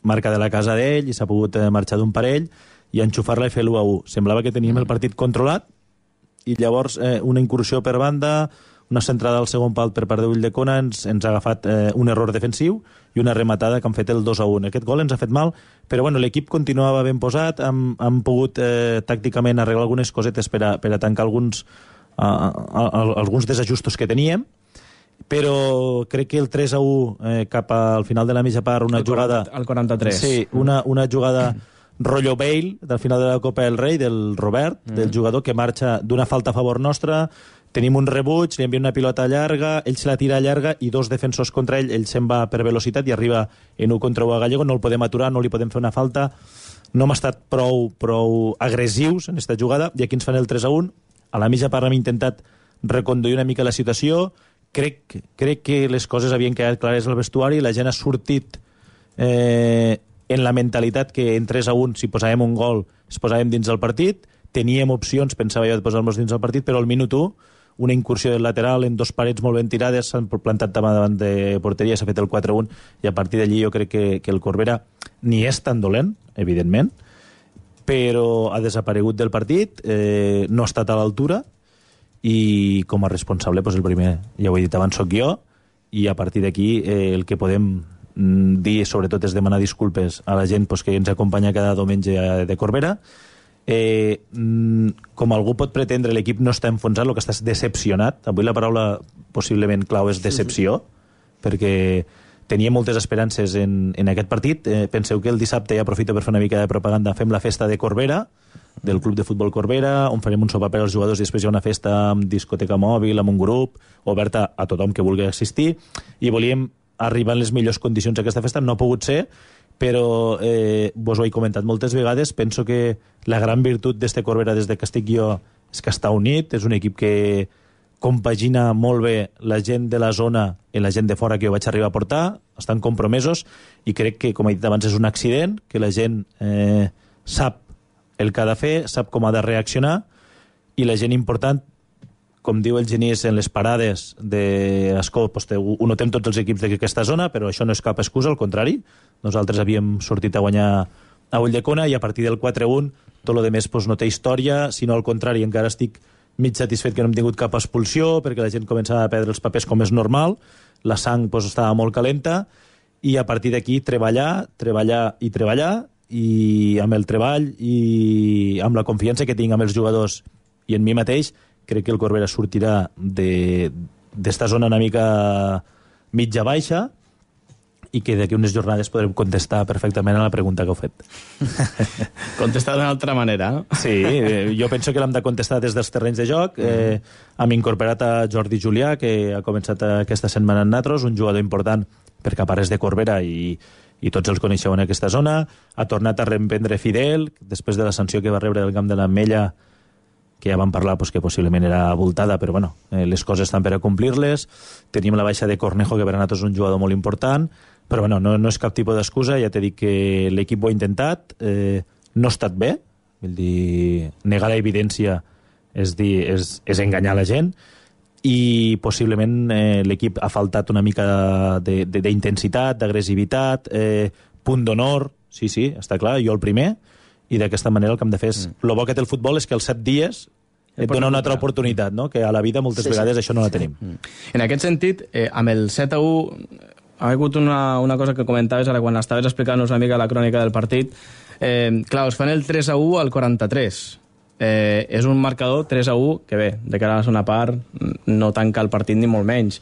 Speaker 5: marca de la casa d'ell i s'ha pogut marxar d'un parell i enxufar-la i fer l'1-1. Semblava que teníem el partit controlat, i llavors una incursió per banda, una centrada al segon pal per part d'Ulldecona ens ha agafat un error defensiu i una rematada que han fet el 2-1. Aquest gol ens ha fet mal, però bueno, l'equip continuava ben posat, hem pogut tàcticament arreglar algunes cosetes per a tancar alguns desajustos que teníem, però crec que el 3-1 cap al final de la mitja part, una jugada...
Speaker 3: Al 43.
Speaker 5: Sí, una jugada rotllo Bale, del final de la Copa del Rei, del Robert, del jugador que marxa d'una falta a favor nostra, tenim un rebuig, li envia una pilota llarga, ell se la tira llarga i dos defensors contra ell se'n va per velocitat i arriba en 1 contra 1 a Gallego, no el podem aturar, no li podem fer una falta, no hem estat prou agressius en aquesta jugada, i aquí ens fan el 3-1, a la mitja part hem intentat reconduir una mica la situació, crec que les coses havien quedat clares al vestuari, la gent ha sortit en la mentalitat que en 3-1, si posàvem un gol, es posàvem dins del partit, teníem opcions, pensava jo, de posar-nos dins del partit, però al minut 1, una incursió del lateral en dos parets molt ben tirades, s'han plantat davant de porteria, s'ha fet el 4-1, i a partir d'allí jo crec que el Corbera ni és tan dolent, evidentment, però ha desaparegut del partit, no ha estat a l'altura, i com a responsable, el primer, ja ho he dit abans, soc jo, i a partir d'aquí el que podem dir, sobretot, és demanar disculpes a la gent que ens acompanya cada diumenge de Corbera. Com algú pot pretendre, l'equip no està enfonsat, el que està és decepcionat. Avui la paraula possiblement clau és decepció, perquè tenia moltes esperances en aquest partit. Penseu que el dissabte, ja aprofito per fer una mica de propaganda, fem la festa de Corbera, del Club de Futbol Corbera, on farem un sopar per als jugadors i després hi ha una festa amb discoteca mòbil, amb un grup, oberta a tothom que vulgui assistir, i volíem arribar en les millors condicions a aquesta festa. No ha pogut ser, però vos ho he comentat moltes vegades, penso que la gran virtut d'este Corbera des que estic jo és que està unit, és un equip que compagina molt bé la gent de la zona i la gent de fora que jo vaig arribar a portar, estan compromesos, i crec que, com he dit abans, és un accident, que la gent sap el que ha de fer, sap com ha de reaccionar, i la gent important, com diu el Genís, en les parades d'Escó, ho notem tots els equips d'aquesta zona, però això no és cap excusa, al contrari. Nosaltres havíem sortit a guanyar a Ulldecona i a partir del 4-1 tot el demés no té història, sinó al contrari, encara estic mig satisfet que no hem tingut cap expulsió, perquè la gent començava a perdre els papers com és normal, la sang estava molt calenta, i a partir d'aquí treballar, i amb el treball i amb la confiança que tinc amb els jugadors i en mi mateix, crec que el Corbera sortirà d'esta zona una mica mitja-baixa, i que d'aquí unes jornades podrem contestar perfectament a la pregunta que heu fet.
Speaker 3: Contestar d'una altra manera.
Speaker 5: Sí, jo penso que l'hem de contestar des dels terrenys de joc. Hem incorporat a Jordi Julià, que ha començat aquesta setmana en Natros, un jugador important perquè a part és de Corbera i tots els coneixeu en aquesta zona. Ha tornat a reemprendre Fidel, després de la sanció que va rebre del camp de l'Ametlla, que ja vam parlar que possiblement era voltada, però bueno, les coses estan per a complir-les. Tenim la baixa de Cornejo, que per a nosaltres és un jugador molt important, però bueno, no és cap tipus d'excusa. Ja t'he dit que l'equip ho ha intentat, no ha estat bé, vull dir, negar l'evidència és enganyar la gent, i possiblement l'equip ha faltat una mica d'intensitat, d'agressivitat, punt d'honor, sí, està clar, jo el primer, i d'aquesta manera el que hem de fer és... El bo que té el futbol és que els 7 dies et dona una altra oportunitat, no? Que a la vida moltes vegades això no la tenim.
Speaker 3: En aquest sentit, amb el 7-1, ha hagut una cosa que comentaves ara quan estaves explicant-nos una mica la crònica del partit. Clar, us fan el 3-1 al 43. És un marcador 3-1 que bé, de cara a la segona part no tanca el partit ni molt menys.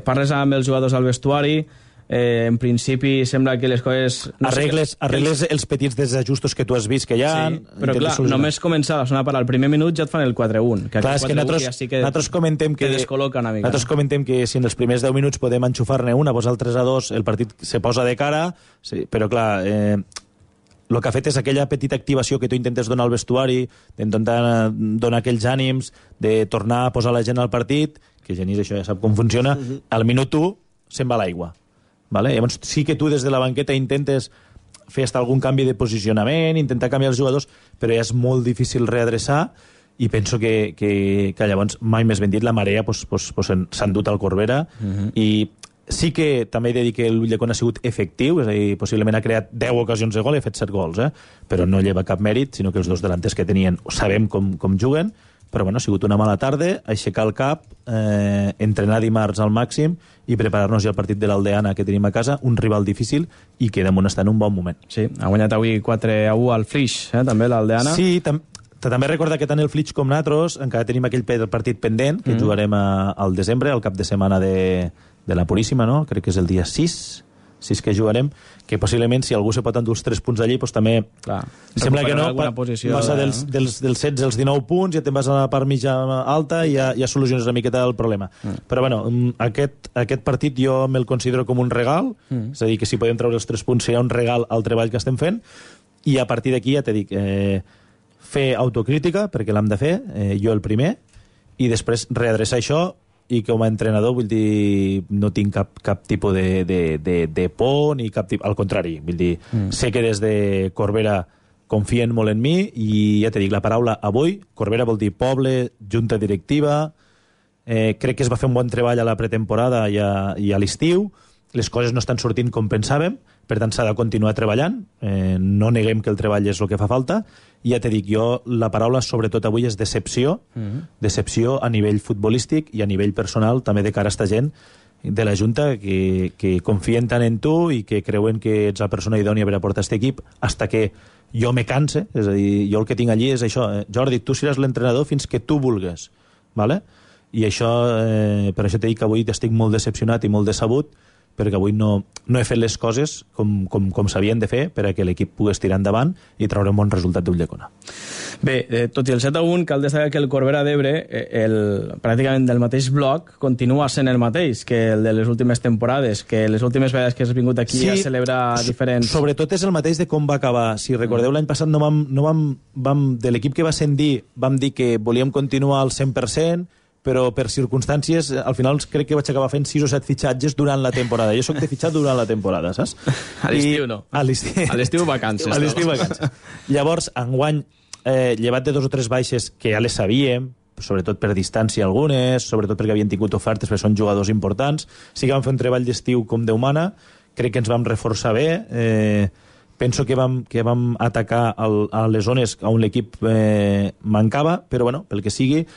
Speaker 3: Parles amb els jugadors al vestuari, en principi sembla que les coses...
Speaker 5: Arregles els petits desajustos que tu has vist que hi ha...
Speaker 3: Sí, però clar, només començar la segona part, al primer minut ja et fan el 4-1.
Speaker 5: Clar, és que nosaltres comentem que
Speaker 3: descol·loca una mica.
Speaker 5: Nosaltres comentem que si en els primers 10 minuts podem enxufar-ne una, vosaltres a 2, el partit se posa de cara, sí, però clar... el que ha fet és aquella petita activació que tu intentes donar al vestuari, d'intentar donar aquells ànims, de tornar a posar la gent al partit, que Genís això ja sap com funciona, al minut 1 se'n va l'aigua. Vale? Llavors sí que tu des de la banqueta intentes fer hasta algun canvi de posicionament, intentar canviar els jugadors, però ja és molt difícil readreçar, i penso que llavors, mai més ben dit, la marea s'ha endut al Corbera, i sí que també he de dir que l'Ulldecona ha sigut efectiu, és a dir, possiblement ha creat 10 ocasions de gol i ha fet 7 gols, però no lleva cap mèrit, sinó que els dos delanters que tenien sabem com juguen, però bueno, ha sigut una mala tarda, aixecar el cap, entrenar dimarts al màxim i preparar-nos ja al partit de l'Aldeana que tenim a casa, un rival difícil i que damunt està en un bon moment.
Speaker 3: Sí, ha guanyat avui 4-1 al Flix, també l'Aldeana.
Speaker 5: Sí, també recorda que tant el Flix com nosaltres encara tenim aquell partit pendent que jugarem al desembre, al cap de setmana de la Puríssima, no? Crec que és el dia 6 si és que jugarem, que possiblement si algú se pot endur els 3 punts d'allí, doncs també...
Speaker 3: Clar,
Speaker 5: sembla que no, passa dels 16 als 19 punts, ja te'n vas a la part mitja alta i ja soluciones una miqueta el problema. Però bueno, aquest partit jo me'l considero com un regal, és a dir, que si podem treure els 3 punts serà un regal al treball que estem fent, i a partir d'aquí ja t'he dit, fer autocrítica, perquè l'hem de fer, jo el primer, i després readreçar això, i com a entrenador, vull dir, no tinc cap tipus de por, ni cap tipus... Al contrari, vull dir, sé que des de Corbera confien molt en mi, i ja t'he dit, la paraula avui, Corbera vol dir poble, junta directiva, crec que es va fer un bon treball a la pretemporada i a l'estiu, les coses no estan sortint com pensàvem, per tant s'ha de continuar treballant, no neguem que el treball és el que fa falta, i ja t'he dit, jo la paraula sobretot avui és decepció, decepció a nivell futbolístic i a nivell personal també de cara a esta gent de la Junta que confien tant en tu i que creuen que ets la persona idònia per a portar aquest equip hasta que jo me canse, és a dir, jo el que tinc allí és això, Jordi, tu seràs l'entrenador fins que tu vulgues, ¿vale? I això, per això t'he dit que avui estic molt decepcionat i molt decebut, perquè avui no he fet les coses com s'havien de fer per a que l'equip pogués tirar endavant i treure un bon resultat d'Ulldecona.
Speaker 3: Bé, tot i el 7-1, cal destacar que el Corbera d'Ebre, pràcticament del mateix bloc, continua sent el mateix que el de les últimes temporades, que les últimes vegades que has vingut aquí a celebrar diferents...
Speaker 5: Sobretot és el mateix de com va acabar. Si recordeu, l'any passat de l'equip que va ascendir, vam dir que volíem continuar al 100%, però per circumstàncies, al final crec que vaig acabar fent 6 o 7 fitxatges durant la temporada. Jo soc de fitxat durant la temporada, saps?
Speaker 3: A l'estiu no. A l'estiu vacances.
Speaker 5: A l'estiu vacances. Llavors, enguany, llevat de 2 o 3 baixes que ja les sabíem, sobretot per distància algunes, sobretot perquè havien tingut ofertes, perquè són jugadors importants, sí que vam fer un treball d'estiu com Déu mana, crec que ens vam reforçar bé, penso que vam atacar a les zones on l'equip mancava, però bueno, pel que sigui,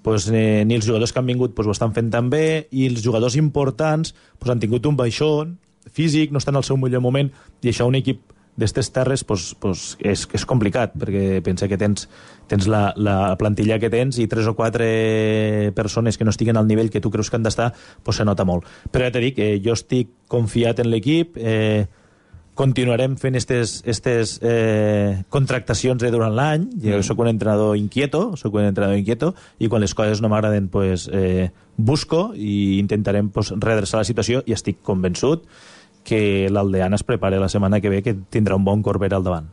Speaker 5: pues, ni els jugadors que han vingut pues, ho estan fent tan bé, i els jugadors importants pues, han tingut un baixón físic, no estan al seu millor moment, i això un equip d'estes terres pues, és complicat, perquè pensa que tens la plantilla que tens i 3 o 4 persones que no estiguen al nivell que tu creus que han d'estar, pues, se nota molt. Però ja t'he dit, jo estic confiat en l'equip, continuarem fent aquestes contractacions durant l'any. Jo soc un entrenador inquieto, i quan les coses no m'agraden pues, busco i intentarem pues, redreçar la situació, i estic convençut que l'Aldeana es prepara la setmana que ve, que tindrà un bon Corbera al davant.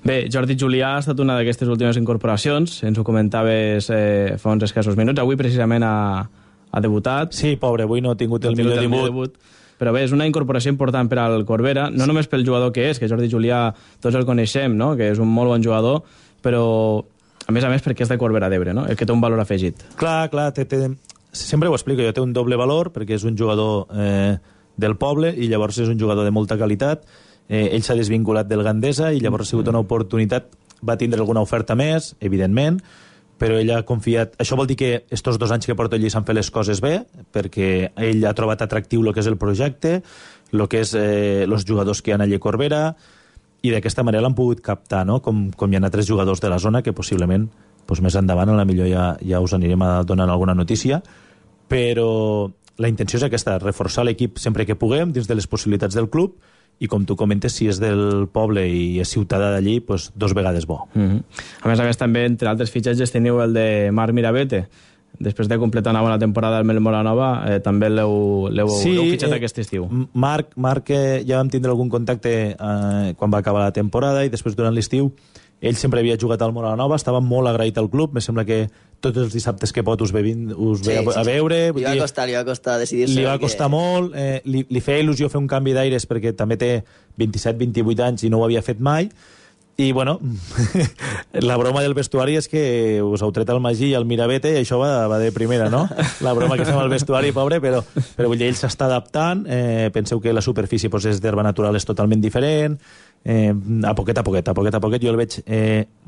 Speaker 3: Bé, Jordi Julià ha estat una d'aquestes últimes incorporacions, ens ho comentaves fa uns escassos minuts, avui precisament ha debutat.
Speaker 5: Sí, pobre, avui no ha tingut el millor debut.
Speaker 3: Però bé, és una incorporació important per al Corbera, no només pel jugador que és, que Jordi Julià tots el coneixem, no? Que és un molt bon jugador, però a més perquè és de Corbera d'Ebre, no? El que té un valor afegit.
Speaker 5: Clar, sempre ho explico, jo té un doble valor, perquè és un jugador del poble, i llavors és un jugador de molta qualitat, ell s'ha desvinculat del Gandesa, i llavors ha sigut una oportunitat, va tindre alguna oferta més, evidentment, però ell ha confiat... Això vol dir que estos 2 anys que porta allí s'han fet les coses bé, perquè ell ha trobat atractiu el que és el projecte, el que és els jugadors que hi ha allà a Corbera, i d'aquesta manera l'han pogut captar, no? Com hi ha altres jugadors de la zona que possiblement doncs més endavant a la millor ja us anirem a donar alguna notícia, però la intenció és aquesta, reforçar l'equip sempre que puguem dins de les possibilitats del club, i com tu comentes, si és del poble i és ciutadà d'allí, doncs 2 vegades bo.
Speaker 3: A més, també, entre altres fitxatges, teniu el de Marc Mirabete. Després de completar una bona temporada al Mel Moranova, també l'heu fitxat aquest estiu.
Speaker 5: Marc, ja vam tindre algun contacte quan va acabar la temporada, i després durant l'estiu ell sempre havia jugat al Moranova, estava molt agraït al club, me sembla que tots els dissabtes que pot us ve a veure.
Speaker 4: Li va costar decidir-se.
Speaker 5: Li va costar molt, li feia il·lusió fer un canvi d'aires perquè també té 27-28 anys i no ho havia fet mai, i bueno, la broma del vestuari és que us heu tret el Magí i el Mirabete, i això va de primera, no? La broma que fem al vestuari, pobre, però vull dir, ell s'està adaptant, penseu que la superfície és d'herba natural, és totalment diferent, a poquet, jo el veig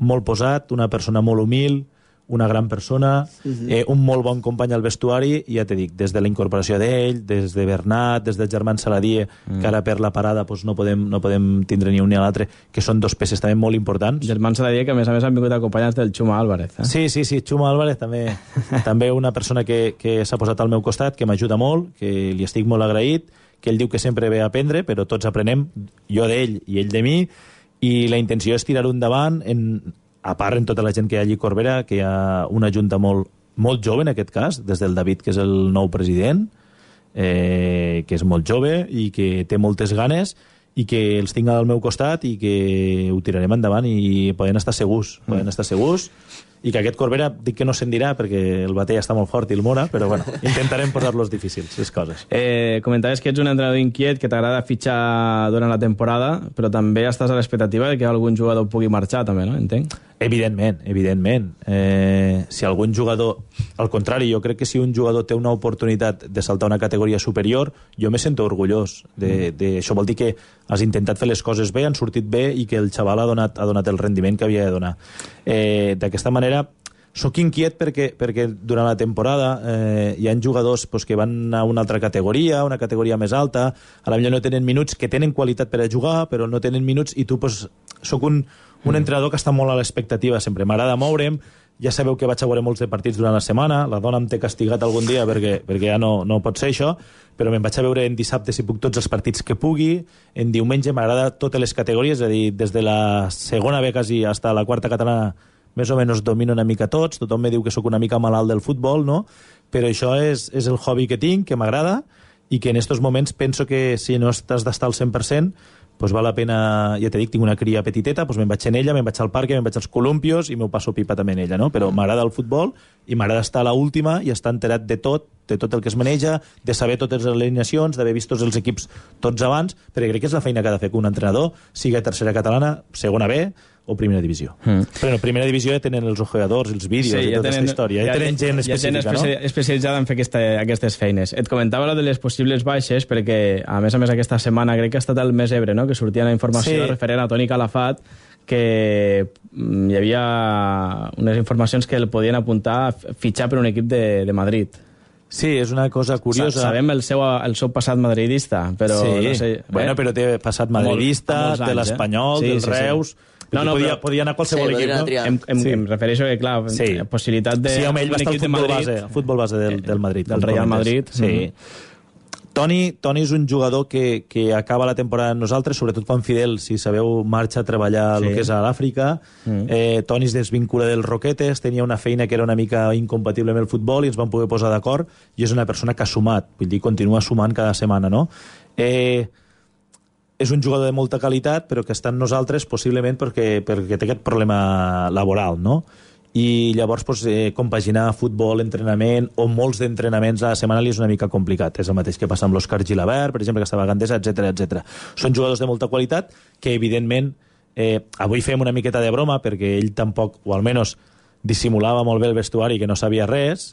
Speaker 5: molt posat, una persona molt humil, una gran persona, un molt bon company al vestuari, i ja t'he dit, des de la incorporació d'ell, des de Bernat, des del germà Saladier, que ara per la parada no podem tindre ni un ni l'altre, que són 2 peces també molt importants.
Speaker 3: Germà Saladier, que a més han vingut acompanyats del Xuma Álvarez.
Speaker 5: Sí, Xuma Álvarez també una persona que s'ha posat al meu costat, que m'ajuda molt, que li estic molt agraït, que ell diu que sempre ve a aprendre, però tots aprenem, jo d'ell i ell de mi, i la intenció és tirar-ho endavant, a part en tota la gent que hi ha allí a Corbera, que hi ha una junta molt jove en aquest cas, des del David, que és el nou president, que és molt jove i que té moltes ganes, i que els tinc al meu costat i que ho tirarem endavant i poden estar segurs, i que aquest Corbera dic que no se'n dirà perquè el Batalla està molt fort i el Mora, però bueno, intentarem posar-los difícils, les coses.
Speaker 3: Comentaves que ets un entrenador inquiet, que t'agrada fitxar durant la temporada, però també estàs a l'expectativa de que algun jugador pugui marxar, també, no? Entenc? Evidentment. Si algun jugador... Al contrari, jo crec que si un jugador té una oportunitat de saltar una categoria superior, jo me sento orgullós. Això vol dir que has intentat fer les coses bé, han sortit bé i que el xaval ha donat el rendiment que havia de donar. D'aquesta manera, soc inquiet perquè durant la temporada hi ha jugadors que van a una altra categoria, una categoria més alta, a la millor no tenen minuts, que tenen qualitat per a jugar, però no tenen minuts, i tu soc un entrenador que està molt a l'expectativa sempre. M'agrada moure'm, ja sabeu que vaig a veure molts de partits durant la setmana, la dona em té castigat algun dia perquè ja no pot ser això, però me'n vaig a veure en dissabte si puc tots els partits que pugui, en diumenge m'agrada totes les categories, és a dir, des de la segona B quasi fins a la quarta catalana més o menys domino una mica tots, tothom me diu que sóc una mica malalt del futbol, no? Però això és el hobby que tinc, que m'agrada, i que en aquests moments penso que si no has d'estar al 100%, doncs val la pena, ja t'he dit, tinc una cria petiteta, doncs me'n vaig en ella, me'n vaig al parc, me'n vaig als columpios i m'ho passo pipa també en ella, no? Però m'agrada el futbol i m'agrada estar a l'última i estar enterat de tot el que es maneja, de saber totes les alineacions, d'haver vist tots els equips tots abans, perquè crec que és la feina que ha de fer que un entrenador, sigui tercera catalana, segona B o primera divisió. Però en primera divisió ja tenen els jugadors, els vídeos i tota aquesta història. Ja tenen gent específica, no? Especialitzada en fer aquestes feines. Et comentava lo de les possibles baixes, perquè a més aquesta setmana crec que ha estat el Més Ebre, no?, que sortia la informació referent a Toni Calafat, que hi havia unes informacions que el podien apuntar a fitxar per un equip de Madrid.
Speaker 5: Sí, és una cosa curiosa.
Speaker 3: Sabem el seu passat madridista, però
Speaker 5: sí.
Speaker 3: No sé...
Speaker 5: Bueno, però té passat madridista, té l'Espanyol, del Reus... No, podia anar a qualsevol equip, no?
Speaker 3: Em refereixo que, clar, possibilitat de...
Speaker 5: Sí, home, ell va estar al futbol base del Madrid.
Speaker 3: Del Real Madrid.
Speaker 5: Sí. Toni és un jugador que acaba la temporada amb nosaltres, sobretot quan Fidel, si sabeu, marxa a treballar el que és a l'Àfrica. Toni es desvincula del Roquetes, tenia una feina que era una mica incompatible amb el futbol i ens vam poder posar d'acord, i és una persona que ha sumat, vull dir, continua sumant cada setmana, no? És un jugador de molta qualitat, però que està amb nosaltres possiblement perquè té aquest problema laboral, no? I llavors compaginar futbol, entrenament o molts d'entrenaments a la setmana li és una mica complicat. És el mateix que passa amb l'Òscar Gilabert, per exemple, que estava a Gandesa, etc. Són jugadors de molta qualitat que, evidentment, avui fem una miqueta de broma perquè ell tampoc, o almenys dissimulava molt bé el vestuari, que no sabia res,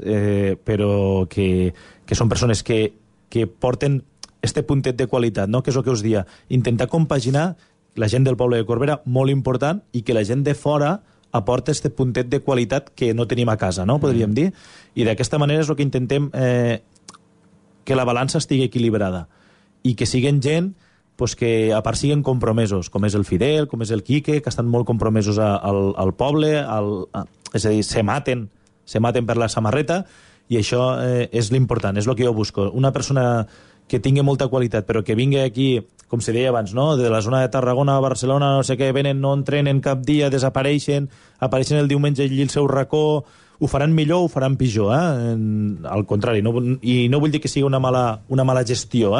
Speaker 5: però que són persones que porten este puntet de qualitat, no? Que és el que us dia. Intentar compaginar la gent del poble de Corbera, molt important, i que la gent de fora aporta este puntet de qualitat que no tenim a casa, no? Podríem dir. I d'aquesta manera és el que intentem que la balança estigui equilibrada i que siguen gent que a part siguen compromesos, com és el Fidel, com és el Quique, que estan molt compromesos al poble, és a dir, se maten per la samarreta, i això és l'important, és el que jo busco. Una persona que tingui molta qualitat, però que vingui aquí, com se deia abans, no?, de la zona de Tarragona, Barcelona, no sé què, venen, no entrenen cap dia, desapareixen, apareixen el diumenge allí al seu racó, ho faran millor o ho faran pitjor, al contrari, i no vull dir que sigui una mala gestió,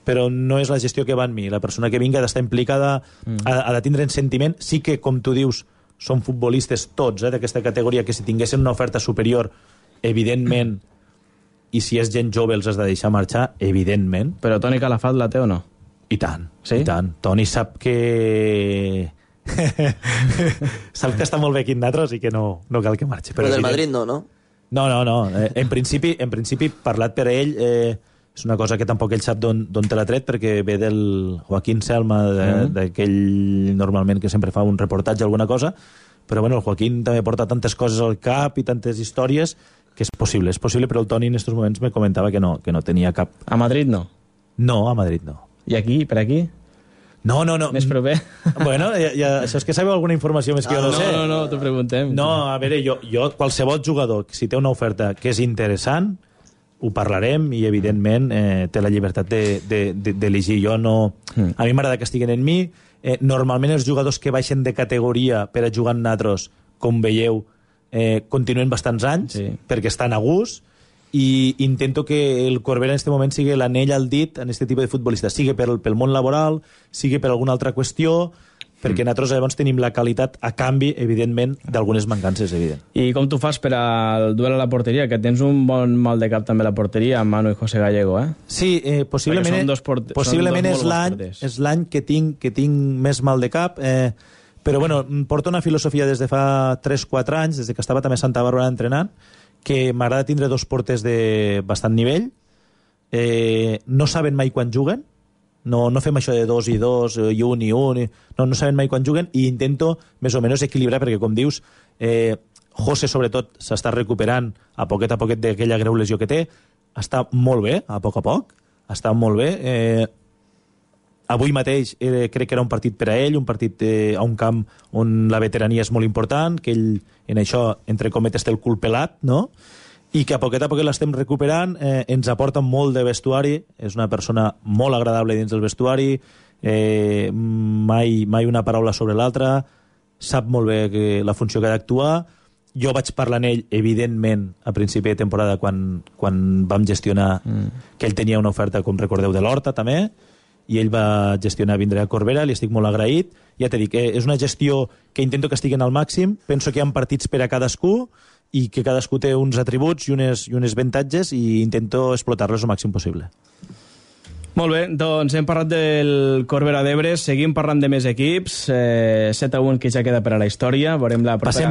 Speaker 5: però no és la gestió que va en mi. La persona que vingui ha d'estar implicada, ha de tindre en sentiment, sí que, com tu dius, són futbolistes tots, d'aquesta categoria, que si tinguessin una oferta superior, evidentment, i si és gent jove els has de deixar marxar, evidentment.
Speaker 3: Però Toni Calafat la té o no?
Speaker 5: I tant,
Speaker 3: sí?
Speaker 5: I tant. Toni sap que... sap que està molt bé aquí amb nosaltres i que no cal que marxi.
Speaker 4: Però del Madrid no, no?
Speaker 5: No. En principi, parlat per ell, és una cosa que tampoc ell sap d'on te l'ha tret, perquè ve del Joaquín Selma, d'aquell normalment que sempre fa un reportatge o alguna cosa, però bueno, el Joaquín també porta tantes coses al cap i tantes històries que és possible, però el Toni en aquests moments me comentava que no tenia cap.
Speaker 3: A Madrid no?
Speaker 5: No, a Madrid no.
Speaker 3: I aquí, per aquí?
Speaker 5: No.
Speaker 3: Més proper?
Speaker 5: Bueno, això és que sabeu alguna informació més que jo no sé.
Speaker 3: No, t'ho preguntem.
Speaker 5: No, a veure, jo qualsevol jugador, si té una oferta que és interessant, ho parlarem i, evidentment, té la llibertat d'elegir. Jo no... A mi m'agrada que estiguin en mi. Normalment els jugadors que baixen de categoria per a jugar en nosaltres, com veieu, continuen bastants anys, perquè estan a gust, i intento que el Corbera en aquest moment sigui l'anell al dit en aquest tipus de futbolista, sigui pel món laboral, sigui per alguna altra qüestió, perquè nosaltres llavors tenim la qualitat a canvi, evidentment, d'algunes mancances, evident.
Speaker 3: I com tu fas per al duel a la porteria? Que tens un bon mal de cap també a la porteria, amb Manu i José Gallego, eh?
Speaker 5: Sí, possiblement és l'any que tinc més mal de cap, però bueno, porto una filosofia des de fa 3-4 anys, des que estava també a Santa Bàrbara entrenant, que m'agrada tindre dos porters de bastant nivell, no saben mai quan juguen, no fem això de 2 i 2, i 1 i 1, no saben mai quan juguen, i intento més o menys equilibrar, perquè com dius, José sobretot s'està recuperant a poquet d'aquella greu lesió que té, està molt bé, a poc, està molt bé. Avui mateix crec que era un partit per a ell, un partit a un camp on la veterania és molt important, que ell en això, entre cometes, té el cul pelat, no? I que a poquet l'estem recuperant, ens aporta molt de vestuari, és una persona molt agradable dins del vestuari, mai una paraula sobre l'altra, sap molt bé la funció que ha d'actuar. Jo vaig parlar amb ell, evidentment, a principi de temporada, quan vam gestionar que ell tenia una oferta, com recordeu, de l'Horta, també, i ell va gestionar vindre a Corbera, li estic molt agraït. Ja t'he dit, és una gestió que intento que estiguen al màxim, penso que hi ha partits per a cadascú i que cadascú té uns atributs i unes avantatges i intento explotar-los el màxim possible.
Speaker 3: Molt bé, doncs hem parlat del Corbera d'Ebre, seguim parlant de més equips, 7-1 que ja queda per a la història, veurem la propera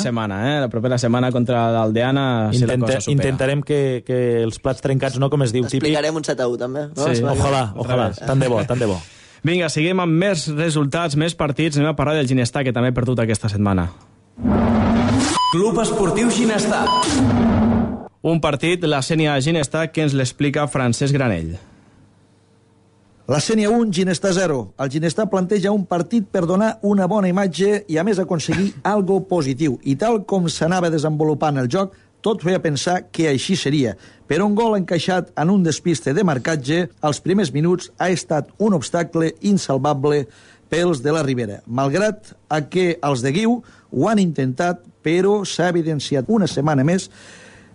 Speaker 3: setmana, la propera setmana contra l'Aldeana, si la cosa supera.
Speaker 5: Intentarem que els plats trencats, no com es diu, típic...
Speaker 4: Explicarem un 7-1 també. No?
Speaker 5: Sí, ojalà, tant de bo.
Speaker 3: Vinga, seguim amb més resultats, més partits, anem a parlar del Ginestar, que també ha perdut aquesta setmana.
Speaker 2: Club Esportiu Ginestar.
Speaker 3: Un partit, la Sènia Ginestar, que ens l'explica Francesc Granell.
Speaker 14: La Sènia 1, Ginestar 0. El Ginestar planteja un partit per donar una bona imatge i, a més, aconseguir algo positiu. I tal com s'anava desenvolupant el joc, tot feia pensar que així seria. Però un gol encaixat en un despiste de marcatge als primers minuts ha estat un obstacle insalvable pels de la Ribera. Malgrat que els de Guiu ho han intentat, però s'ha evidenciat una setmana més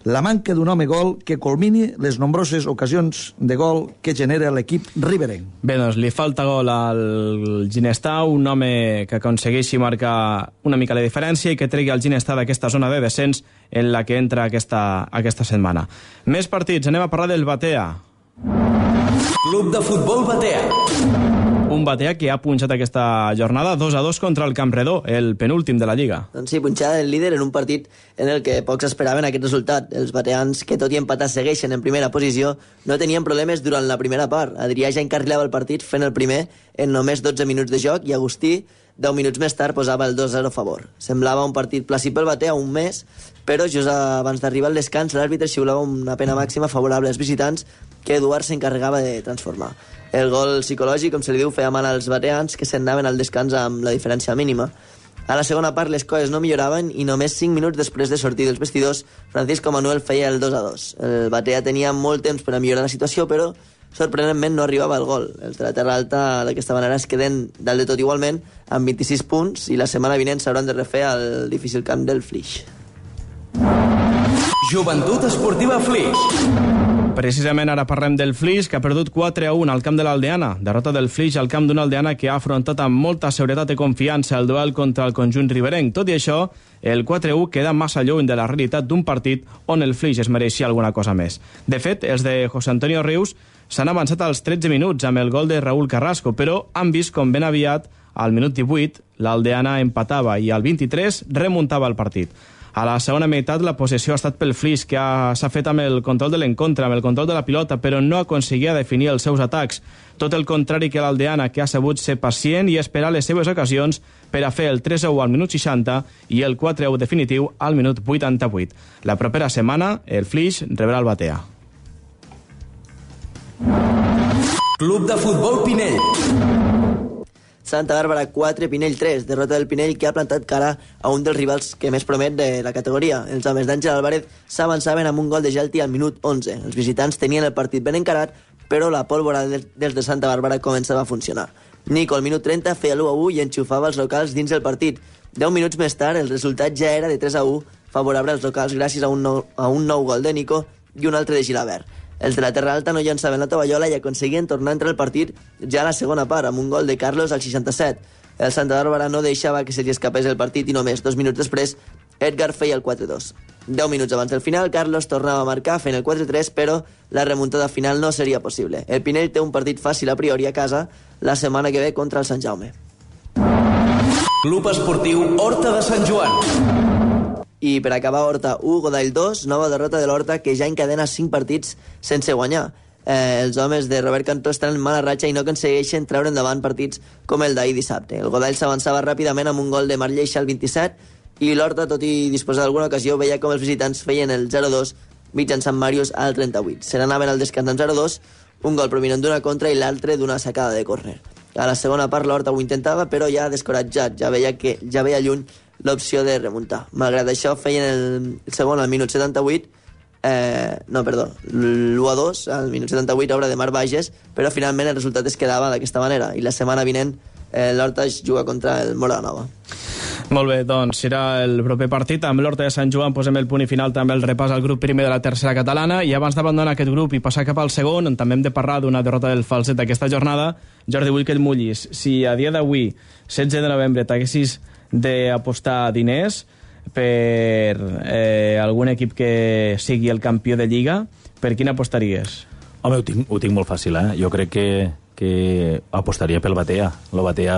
Speaker 14: la manca d'un home gol que culmini les nombroses ocasions de gol que genera l'equip riberenc.
Speaker 3: Bé, doncs li falta gol al Ginestar, un home que aconsegueixi marcar una mica la diferència i que tregui el Ginestar d'aquesta zona de descens en la que entra aquesta setmana. Més partits, anem a parlar del Batea.
Speaker 2: Club de Futbol Batea.
Speaker 3: Un Batea que ha punxat aquesta jornada 2-2 contra el Campredó, el penúltim de la Lliga.
Speaker 4: Doncs sí, punxar el líder en un partit en el que pocs esperaven aquest resultat. Els bateans, que tot i empatar segueixen en primera posició, no tenien problemes durant la primera part. Adrià ja encarrilava el partit fent el primer en només 12 minuts de joc i Agustí, 10 minuts més tard, posava el 2-0 a favor. Semblava un partit plàcid pel Batea, un mes, però just abans d'arribar al descans l'àrbitre xiulava una pena màxima favorable als visitants que Eduard s'encarregava de transformar. El gol psicològic, com se li diu, feia mal als bateans que se'n anaven al descans amb la diferència mínima. A la segona part les coses no milloraven i només 5 minuts després de sortir dels vestidors, Francisco Manuel feia el 2-2. El Batea tenia molt temps per a millorar la situació, però sorprenentment no arribava el gol. Els de la Terra Alta d'aquesta manera es queden dalt de tot igualment amb 26 punts i la setmana vinent s'hauran de refer al difícil camp del Flix.
Speaker 2: Joventut Esportiva Flix.
Speaker 3: Precisament ara parlem del Flix, que ha perdut 4-1 al camp de l'Aldeana. Derrota del Flix al camp d'una Aldeana que ha afrontat amb molta seguretat i confiança el duel contra el conjunt riberenc. Tot i això, el 4-1 queda massa lluny de la realitat d'un partit on el Flix es mereixia alguna cosa més. De fet, els de José Antonio Rius s'han avançat als 13 minuts amb el gol de Raúl Carrasco, però han vist com ben aviat, al minut 18, l'Aldeana empatava i al 23 remuntava el partit. A la segona meitat la possessió ha estat pel Flix, que s'ha fet amb el control de l'encontre, amb el control de la pilota, però no aconseguia definir els seus atacs. Tot el contrari que l'Aldeana, que ha sabut ser pacient i esperar les seves ocasions per a fer el 3-1 al minut 60 i el 4-1 definitiu al minut 88. La propera setmana, el Flix rebrà el Batea.
Speaker 2: Club de Futbol Pinell.
Speaker 4: Santa Bàrbara 4, Pinell 3. Derrota del Pinell, que ha plantat cara a un dels rivals que més promet de la categoria. Els homes d'Àngel Álvarez s'avançaven amb un gol de Gelti al minut 11. Els visitants tenien el partit ben encarat, però la pólvora dels de Santa Bàrbara començava a funcionar. Nico, al minut 30, feia l'1-1 i enxufava els locals dins del partit. 10 minuts més tard, el resultat ja era de 3-1, favorable als locals gràcies a un nou gol de Nico i un altre de Gilabert. Els de la Terra Alta no llançaven la tovallola i aconseguien tornar a entrar al partit ja a la segona part, amb un gol de Carlos al 67. El Santa Bàrbara no deixava que se li escapés el partit i només 2 minuts després Edgar feia el 4-2. 10 minuts abans del final, Carlos tornava a marcar fent el 4-3, però la remuntada final no seria possible. El Pinell té un partit fàcil a priori a casa la setmana que ve contra el Sant Jaume.
Speaker 2: Club Esportiu Horta de Sant Joan.
Speaker 4: I per acabar, Horta 1, Godall 2, nova derrota de l'Horta, que ja encadena 5 partits sense guanyar. Els homes de Robert Cantó estan en mala ratxa i no aconsegueixen treure endavant partits com el d'ahir dissabte. El Godall s'avançava ràpidament amb un gol de Marc Lleixa al 27 i l'Horta, tot i disposar d'alguna ocasió, veia com els visitants feien el 0-2 mitjançant Màrius al 38. Se n'anaven al descans amb 0-2, un gol provinent d'una contra i l'altre d'una sacada de córner. A la segona part l'Horta ho intentava, però ja descoratjat, ja veia lluny l'opció de remuntar. Malgrat això, feien el segon al minut 78, l'1-2 al minut 78, obra de Marc Bages, però finalment el resultat es quedava d'aquesta manera, i la setmana vinent l'Horta es juga contra el Móra la Nova.
Speaker 3: Molt bé, doncs serà el proper partit. Amb l'Horta de Sant Joan posem el punt i final també el repàs al grup primer de la tercera catalana, i abans d'abandonar aquest grup i passar cap al segon, on també hem de parlar d'una derrota del Falset d'aquesta jornada, Jordi, vull que el mullis. Si a dia d'avui, 16 de novembre, t'haguessis d'apostar diners per algun equip que sigui el campió de Lliga, per quin apostaries?
Speaker 5: Home, ho tinc molt fàcil, eh? Jo crec que apostaria pel Batea.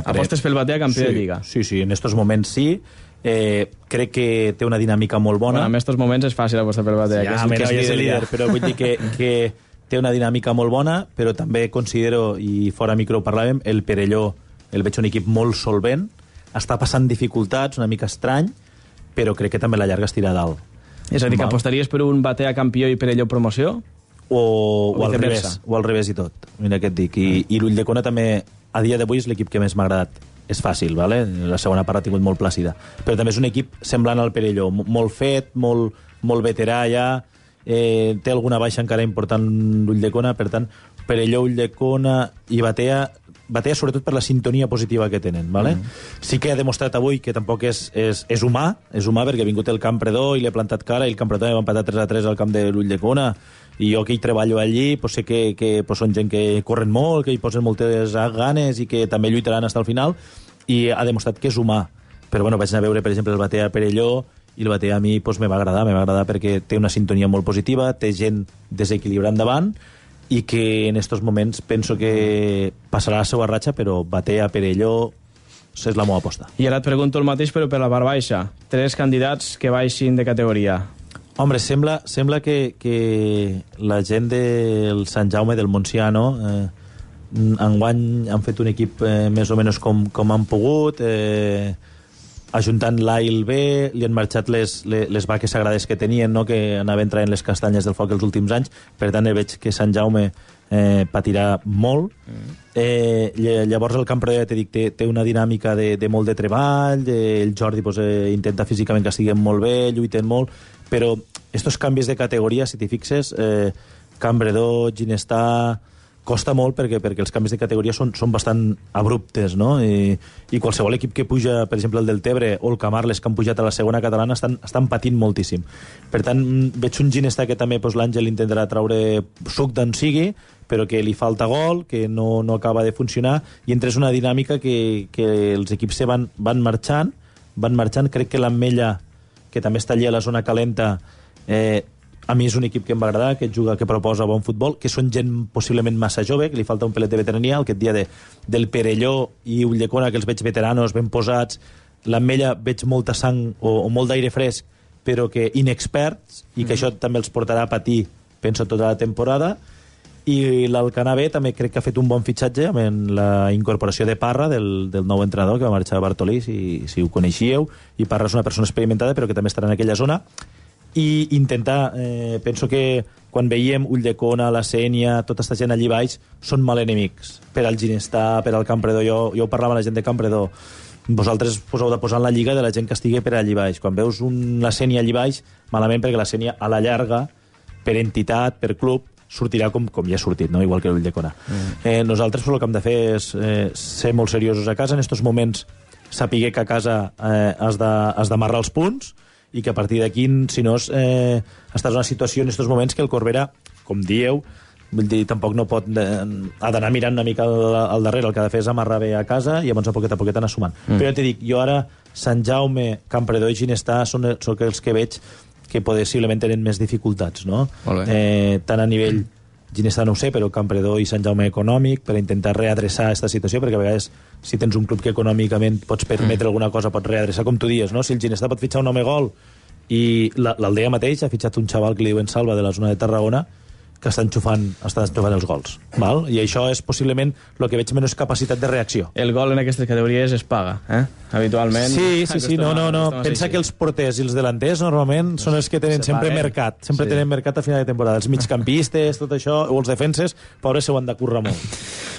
Speaker 3: Apostes pel Batea campió de Lliga?
Speaker 5: Sí, en estos moments sí. Crec que té una dinàmica molt bona.
Speaker 3: Bueno, en estos moments és fàcil apostar pel Batea,
Speaker 5: que és el líder, però vull dir que té una dinàmica molt bona, però també considero, i fora micro parlàvem, el Perelló, el veig un equip molt solvent, està passant dificultats, una mica estrany, però crec que també la llarga es tira a dalt.
Speaker 3: És a dir, que apostaries per un Batea campió i Perelló promoció?
Speaker 5: O al revés i tot. Mira què et dic. I l'Ulldecona també, a dia d'avui, és l'equip que més m'ha agradat. És fàcil, ¿vale? La segona part ha tingut molt plàcida. Però també és un equip semblant al Perelló, molt fet, molt veterà ja, té alguna baixa encara important l'Ulldecona, per tant, Perelló, Ulldecona i Batea sobretot per la sintonia positiva que tenen, ¿vale? Sí que ha demostrat avui que tampoc és humà, perquè ha vingut el Campredó i li ha plantat cara, i el Campredó va empatar 3-3 al camp de l'Ulldecona, i jo que hi treballo allí sé que són gent que corren molt, que hi posen moltes ganes i que també lluitaran fins al final, i ha demostrat que és humà. Però bueno, vaig anar a veure, per exemple, el Batea Perelló, i el Batea a mi me va agradar perquè té una sintonia molt positiva, té gent desequilibrant davant, i que en estos moments penso que passarà la seva ratxa, però Batea, Perelló és la meva aposta.
Speaker 3: I ara et pregunto el mateix, però per la part baixa. 3 candidats que baixin de categoria.
Speaker 5: Home, sembla que la gent del Sant Jaume, del Montsià, enguany han fet un equip més o menys com han pogut, ajuntant l'A i el B, li han marxat les vaques sagrades que tenien, que anaven traient les castanyes del foc els últims anys, per tant veig que Sant Jaume patirà molt. Llavors el Campredó, ja t'he dit, té una dinàmica de molt de treball, el Jordi intenta físicament que estiguin molt bé, lluiten molt, però estos canvis de categoria, si t'hi fixes, Campredó, Ginestà, costa molt perquè els canvis de categoria són bastant abruptes, no? I qualsevol equip que puja, per exemple el del Tebre o el Camarles, que han pujat a la segona catalana, estan patint moltíssim. Per tant, veig un Ginestà que també l'Àngel intentarà traure suc d'on sigui, però que li falta gol, que no acaba de funcionar, i entres una dinàmica que els equips van marxant, crec que l'Ametlla, que també està allà a la zona calenta, a mi és un equip que em va agradar, que juga, que proposa bon futbol, que són gent possiblement massa jove, que li falta un pelet de veterania, aquest dia del Perelló i Ulldecona, que els veig veteranos, ben posats, l'Ametlla veig molta sang o molt d'aire fresc, però que inexperts, i que això també els portarà a patir, penso, tota la temporada. I l'Alcanar B també crec que ha fet un bon fitxatge amb la incorporació de Parra, del nou entrenador, que va marxar a Bartolí, si ho coneixíeu, i Parra és una persona experimentada, però que també estarà en aquella zona, i intentar, penso que quan veiem Ulldecona, la Sénia, tota aquesta gent allí baix, són mal enemics per al Ginestar, per al Campredó. Jo ho parlava amb la gent de Campredó. Vosaltres us heu de posar en la lliga de la gent que estigui per allí baix. Quan veus la Sénia allí baix, malament, perquè la Sénia a la llarga, per entitat, per club, sortirà com ja ha sortit, no? Igual que l'Ulldecona. Nosaltres el que hem de fer és ser molt seriosos a casa. En aquests moments sapiguer que a casa has d'amarrar els punts i que a partir d'aquí, si no, estàs en una situació en aquests moments que el Corbera, com dieu, vull dir, tampoc no pot... ha d'anar mirant una mica al darrere. El que ha de fer és amarrar bé a casa i llavors a poquet anar sumant. Però ja t'he dit, jo ara, Sant Jaume, Campredó i Ginestar són els que veig que possiblement tenen més dificultats, no? Tant a nivell Ginestar no ho sé, però Campredó i Sant Jaume econòmic, per intentar readreçar aquesta situació, perquè a vegades si tens un club que econòmicament pots permetre alguna cosa, pots readreçar, com tu dius, no? Si el Ginestar pot fitxar un home gol i l'Aldea mateix ha fitxat un xaval que li diuen Salva de la zona de Tarragona, que estan enxufant els gols. Val? I això és possiblement el que veig menys capacitat de reacció.
Speaker 3: El gol en aquestes categories es paga, habitualment.
Speaker 5: Sí. No. Pensa que els porters i els delanters normalment són els que tenen sempre mercat. Sempre tenen mercat a final de temporada. Els migcampistes, tot això, o els defenses, pobres, s'ho han de currar molt.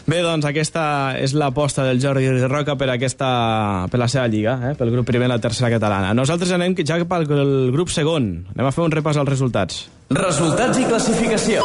Speaker 3: Bé, doncs aquesta és l'aposta del Jordi Roca per la seva lliga, pel grup primer i la tercera catalana. Nosaltres anem ja pel grup segon. Anem a fer un repàs als resultats.
Speaker 2: Resultats i classificació.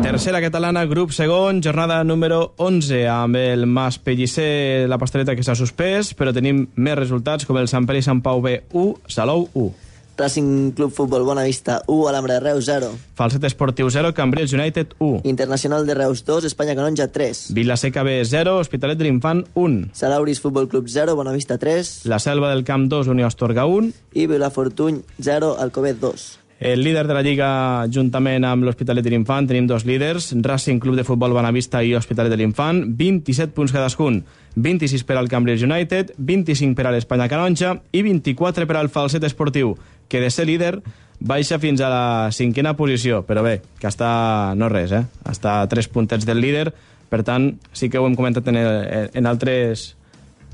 Speaker 3: Tercera catalana, grup segon, jornada número 11, amb el Mas Pellicer, la Pastoreta, que s'ha suspès, però tenim més resultats, com el Sant Pere i Sant Pau B 1, Salou 1.
Speaker 4: Racing Club Futbol Bonavista 1, Alhambra de Reus 0.
Speaker 3: Falset Esportiu 0, Cambrils United 1.
Speaker 4: Internacional de Reus 2, Espanya Canonja 3.
Speaker 3: Vilaseca B 0, Hospitalet de l'Infant 1.
Speaker 4: Salauris Futbol Club 0, Bonavista 3.
Speaker 3: La Selva del Camp 2, Unió Astorga 1.
Speaker 4: I Vilafortuny 0, Alcovet 2.
Speaker 3: El líder de la Lliga, juntament amb l'Hospitalet de l'Infant, tenim dos líders, Racing Club de Futbol Bonavista i Hospitalet de l'Infant, 27 punts cadascun, 26 per al Cambrils United, 25 per a l'Espanya Canonja i 24 per al Falset Esportiu, que de ser líder baixa fins a la 5a posició, però bé, que està no res, està a 3 puntets del líder, per tant, sí que ho hem comentat en altres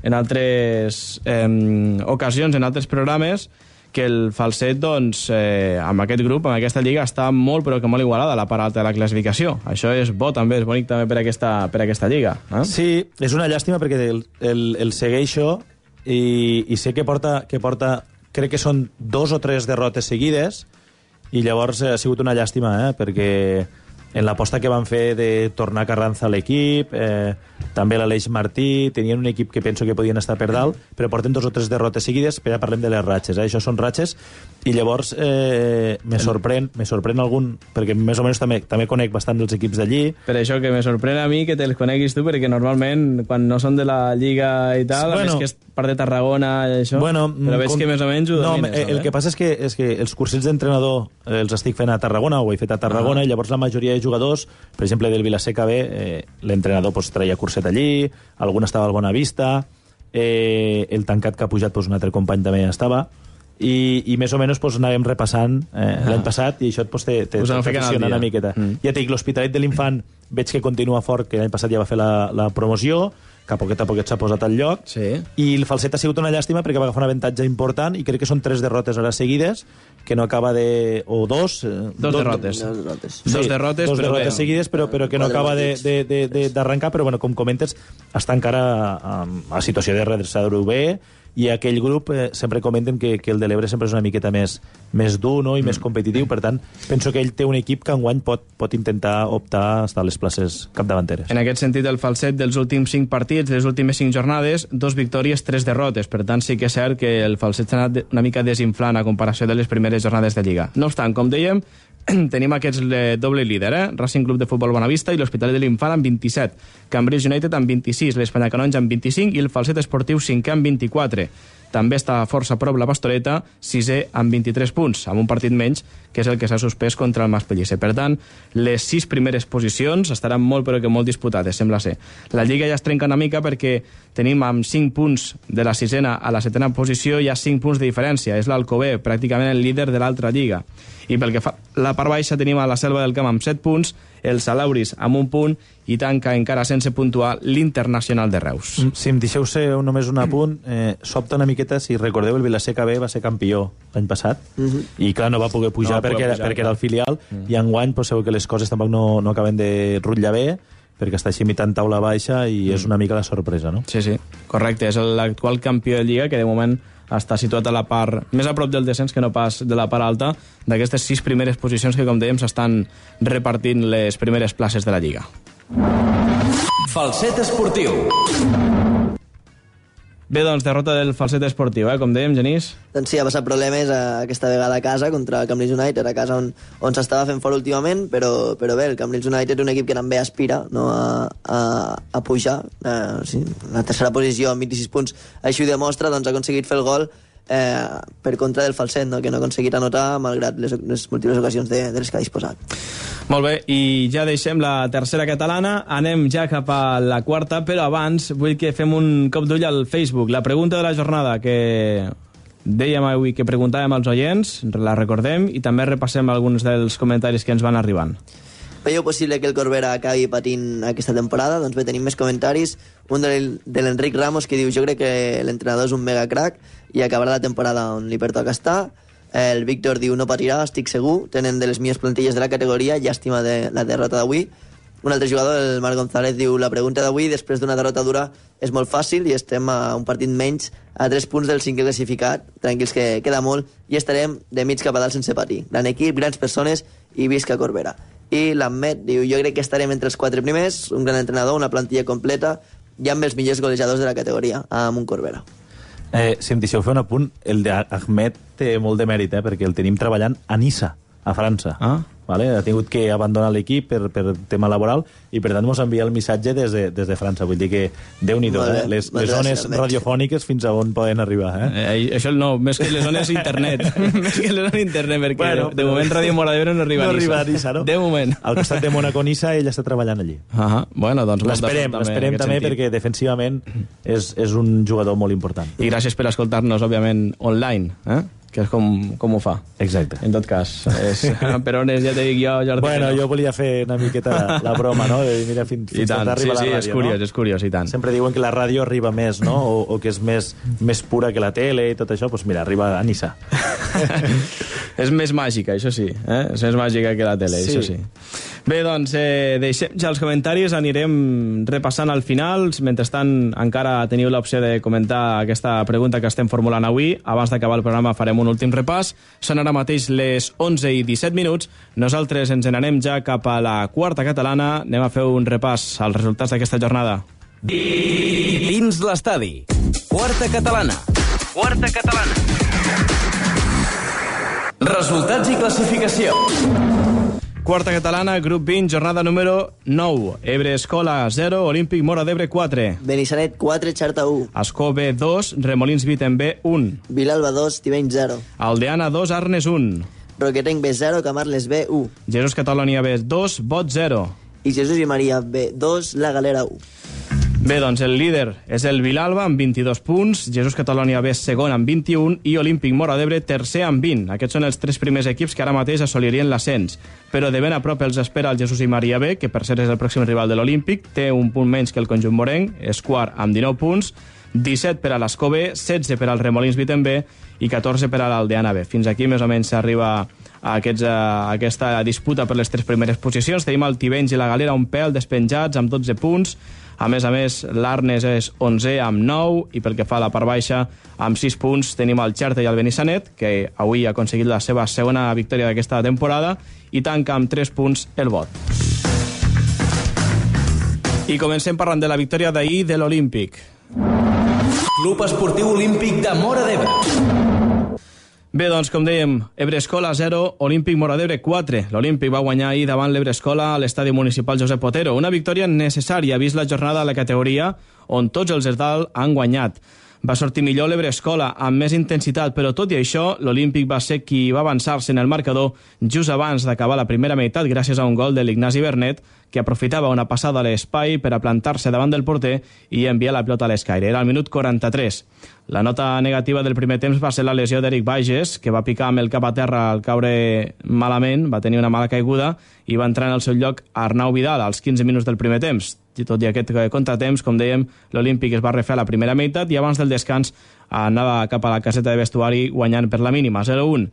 Speaker 3: ocasions, en altres programes, que el Falset, doncs, amb aquest grup, amb aquesta lliga, està molt, però que molt igualada a la part alta de la classificació. Això és bo, també, és bonic també per aquesta lliga.
Speaker 5: Sí, és una llàstima perquè el segueixo i sé que porta, crec que són 2 o 3 derrotes seguides, i llavors ha sigut una llàstima, perquè en l'aposta que van fer de tornar Carranza a l'equip, també l'Aleix Martí, tenien un equip que penso que podien estar per dalt, però porten 2 o 3 derrotes seguides, però ja parlem de les ratxes, això són ratxes, i llavors me sorprèn algun, perquè més o menys també conec bastant dels equips d'allí.
Speaker 3: Per això que me sorprèn a mi que te'ls coneguis tu, perquè normalment, quan no són de la Lliga i tal, a més que és part de Tarragona i això, però veig que més o menys ho domines.
Speaker 5: El que passa és que els cursets d'entrenador els estic fent a Tarragona, ho he fet a Tarragona, i llavors la majoria de jugadors, per exemple, del Vilaseca B, l'entrenador traia curset allí, algun estava al Bonavista, el tancat que ha pujat un altre company també estava, i més o menys anàvem repassant l'any passat, i això te funciona una miqueta. Ja et dic, l'Hospitalet de l'Infant veig que continua fort, que l'any passat ja va fer la promoció, que a poquet s'ha posat al lloc, i el Falset ha sigut una llàstima perquè va agafar un avantatge important, i crec que són 3 derrotes ara seguides, que no acaba de... o 2...
Speaker 3: Dos derrotes. Dos derrotes
Speaker 5: seguides, però que no acaba d'arrencar, però com comentes, està encara a situació de redreçador B, i aquell grup sempre comenten que el de l'Ebre sempre és una miqueta més dur, no? I més competitiu, per tant penso que ell té un equip que enguany pot intentar optar a estar a les places capdavanteres.
Speaker 3: En aquest sentit, el Falset dels últims 5 partits, de les últimes 5 jornades, 2 victòries, 3 derrotes, per tant sí que és cert que el Falset s'ha anat una mica desinflant a comparació de les primeres jornades de Lliga. No obstant, com dèiem, tenim aquests doble líder, Racing Club de Futbol Bonavista i l'Hospitalet de l'Infant amb 27, Cambrils United amb 26, l'Espanya Canonja amb 25 i el Falset Esportiu 5è amb 24. També està força a prop la Pastoreta, 6è amb 23 punts, amb un partit menys, que és el que s'ha suspès contra el Mas Pellicer. Per tant, les 6 primeres posicions estaran molt, però que molt disputades, sembla ser. La Lliga ja es trenca una mica perquè tenim amb 5 punts de la 6a a la 7a posició, hi ha 5 punts de diferència. És l'Alcover, pràcticament el líder de l'altra Lliga. I pel que fa la part baixa tenim a la Selva del Camp amb 7 punts, el Salauris amb 1 punt i tanca encara sense puntuar l'Internacional de Reus.
Speaker 5: Si em deixeu ser només un apunt, sobta una miqueta, si recordeu, el Vilaseca B va ser campió l'any passat, i clar, no va poder pujar perquè era el filial, i enguany sabeu que les coses tampoc no acaben de rutllar bé, perquè està així imitant taula baixa i és una mica la sorpresa, no?
Speaker 3: Sí, correcte. És l'actual campió de Lliga, que de moment està situat a la part més a prop del descens que no pas de la part alta d'aquestes 6 primeres posicions que, com dèiem, s'estan repartint les primeres places de la Lliga.
Speaker 2: Falset esportiu.
Speaker 3: Bé, doncs, derrota del Falset esportiu, com dèiem, Genís.
Speaker 4: Doncs sí, ha passat problemes aquesta vegada a casa contra el Cambrils United, a casa on s'estava fent fort últimament, però bé, el Cambrils United és un equip que també aspira, no, a pujar. Sí, la tercera posició amb 26 punts així ho demostra, doncs ha aconseguit fer el gol per contra del Falset, no, que no ha aconseguit anotar malgrat les múltiples ocasions de les que ha disposat.
Speaker 3: Molt bé, i ja deixem la tercera catalana, anem ja cap a la quarta, però abans vull que fem un cop d'ull al Facebook. La pregunta de la jornada que dèiem avui que preguntàvem als oients, la recordem i també repassem alguns dels comentaris que ens van arribant.
Speaker 4: Veieu possible que el Corbera acabi patint aquesta temporada? Doncs bé, tenim més comentaris. Un de l'Enric Ramos que diu: jo crec que l'entrenador és un mega crack i acabarà la temporada on li pertoca estar. El Víctor diu: no patirà, estic segur, tenen de les millors plantilles de la categoria, llàstima de la derrota d'avui. Un altre jugador, el Marc González, diu: la pregunta d'avui, després d'una derrota dura, és molt fàcil i estem a un partit menys, a 3 punts del 5è classificat, tranquils que queda molt, i estarem de mig cap a dalt sense patir. Gran equip, grans persones i visca Corbera. I l'Ahmed diu: jo crec que estarem entre els 4 primers, un gran entrenador, una plantilla completa i amb els millors golejadors de la categoria, amb un Corbera.
Speaker 5: Si em deixeu fer un apunt, el d'Ahmed té molt de mèrit, perquè el tenim treballant a Niça, a França. Vale? Ha tingut que abandonar l'equip per tema laboral i per tant ens envia el missatge des de França. Vull dir que Déu-n'hi-do, les zones radiofòniques fins a on poden arribar.
Speaker 3: Això no, més que les zones internet. Més que les zones internet, perquè de moment Ràdio Mora d'Ebre no arriba a Niça.
Speaker 5: No arriba a Niça, no?
Speaker 3: De moment.
Speaker 5: Al costat de Mónaco-Niça ell està treballant allí.
Speaker 3: Bueno, doncs
Speaker 5: l'esperem també perquè defensivament és un jugador molt important.
Speaker 3: I gràcies per escoltar-nos, òbviament, online, que és com ho fa.
Speaker 5: Exacte.
Speaker 3: En tot cas, per on és, ja te dic jo, Jordi.
Speaker 5: Bueno, jo volia fer una miqueta la broma, no? Mira, fins on arriba la ràdio,
Speaker 3: no? És curiós, i tant.
Speaker 5: Sempre diuen que la ràdio arriba més, no? O que és més pura que la tele i tot això, doncs mira, arriba a Niça.
Speaker 3: És més màgica, això sí. És més màgica que la tele, això sí. Bé, doncs, deixem ja els comentaris, anirem repassant al final. Mentrestant, encara teniu l'opció de comentar aquesta pregunta que estem formulant avui. Abans d'acabar el programa farem un últim repàs. Són ara mateix les 11 i 17 minuts. Nosaltres ens n'anem ja cap a la quarta catalana. Anem a fer un repàs als resultats d'aquesta jornada.
Speaker 2: Dins l'estadi. Quarta catalana. Resultats i classificació.
Speaker 3: Quarta catalana, grup 20, jornada número 9. Ebre Escola 0, Olímpic Mora d'Ebre 4.
Speaker 4: Benissanet 4, Xarta 1.
Speaker 3: Escó B 2, Remolins Vitem B 1.
Speaker 4: Vilalba 2, Tibeny 0.
Speaker 3: Aldeana 2, Arnes 1.
Speaker 4: Roquetenc B 0, Camarles B 1.
Speaker 3: Jesús Catalonia B 2, Bot 0.
Speaker 4: I Jesús i Maria B 2, La Galera 1.
Speaker 3: Bé, doncs el líder és el Vilalba amb 22 punts, Jesús Catalonia B segon amb 21 i Olímpic Mora d'Ebre tercer amb 20. Aquests són els 3 primers equips que ara mateix assolirien l'ascens. Però de ben a prop els espera el Jesús i Maria B, que per ser és el pròxim rival de l'Olímpic, té un punt menys que el conjunt morenc, és quart amb 19 punts, 17 per a l'Escó B, 16 per al Remolins Vitem B i 14 per a l'Aldeana B. Fins aquí més o menys s'arriba a aquesta disputa per les 3 primeres posicions. Tenim el Tivenys i la Galera un pèl despenjats amb 12 punts. A més, l'Arnes és 11 amb 9 i pel que fa a la part baixa, amb 6 punts tenim el Xerta i el Benissanet, que avui ha aconseguit la seva segona victòria d'aquesta temporada, i tanca amb 3 punts el Bot. I comencem parlant de la victòria d'ahir de l'Olímpic.
Speaker 2: Club Esportiu Olímpic de Mora d'Ebre.
Speaker 3: Bé, doncs, com dèiem, Ebre Escola 0, Olímpic Mora d'Ebre 4. L'Olímpic va guanyar ahir davant l'Ebre Escola a l'estadi municipal Josep Otero. Una victòria necessària, vist la jornada a la categoria, on tots els Esdal han guanyat. Va sortir millor l'Ebrescola, amb més intensitat, però tot i això, l'Olímpic va ser qui va avançar-se en el marcador just abans d'acabar la primera meitat gràcies a un gol de l'Ignasi Bernet, que aprofitava una passada a l'espai per a plantar-se davant del porter i enviar la pilota a l'escaire. Era al minut 43. La nota negativa del primer temps va ser la lesió d'Eric Bages, que va picar amb el cap a terra al caure malament, va tenir una mala caiguda i va entrar en el seu lloc Arnau Vidal als 15 minuts del primer temps. I tot i aquest contratemps, com dèiem, l'Olímpic es va refer a la primera meitat i abans del descans anava cap a la caseta de vestuari guanyant per la mínima, 0-1.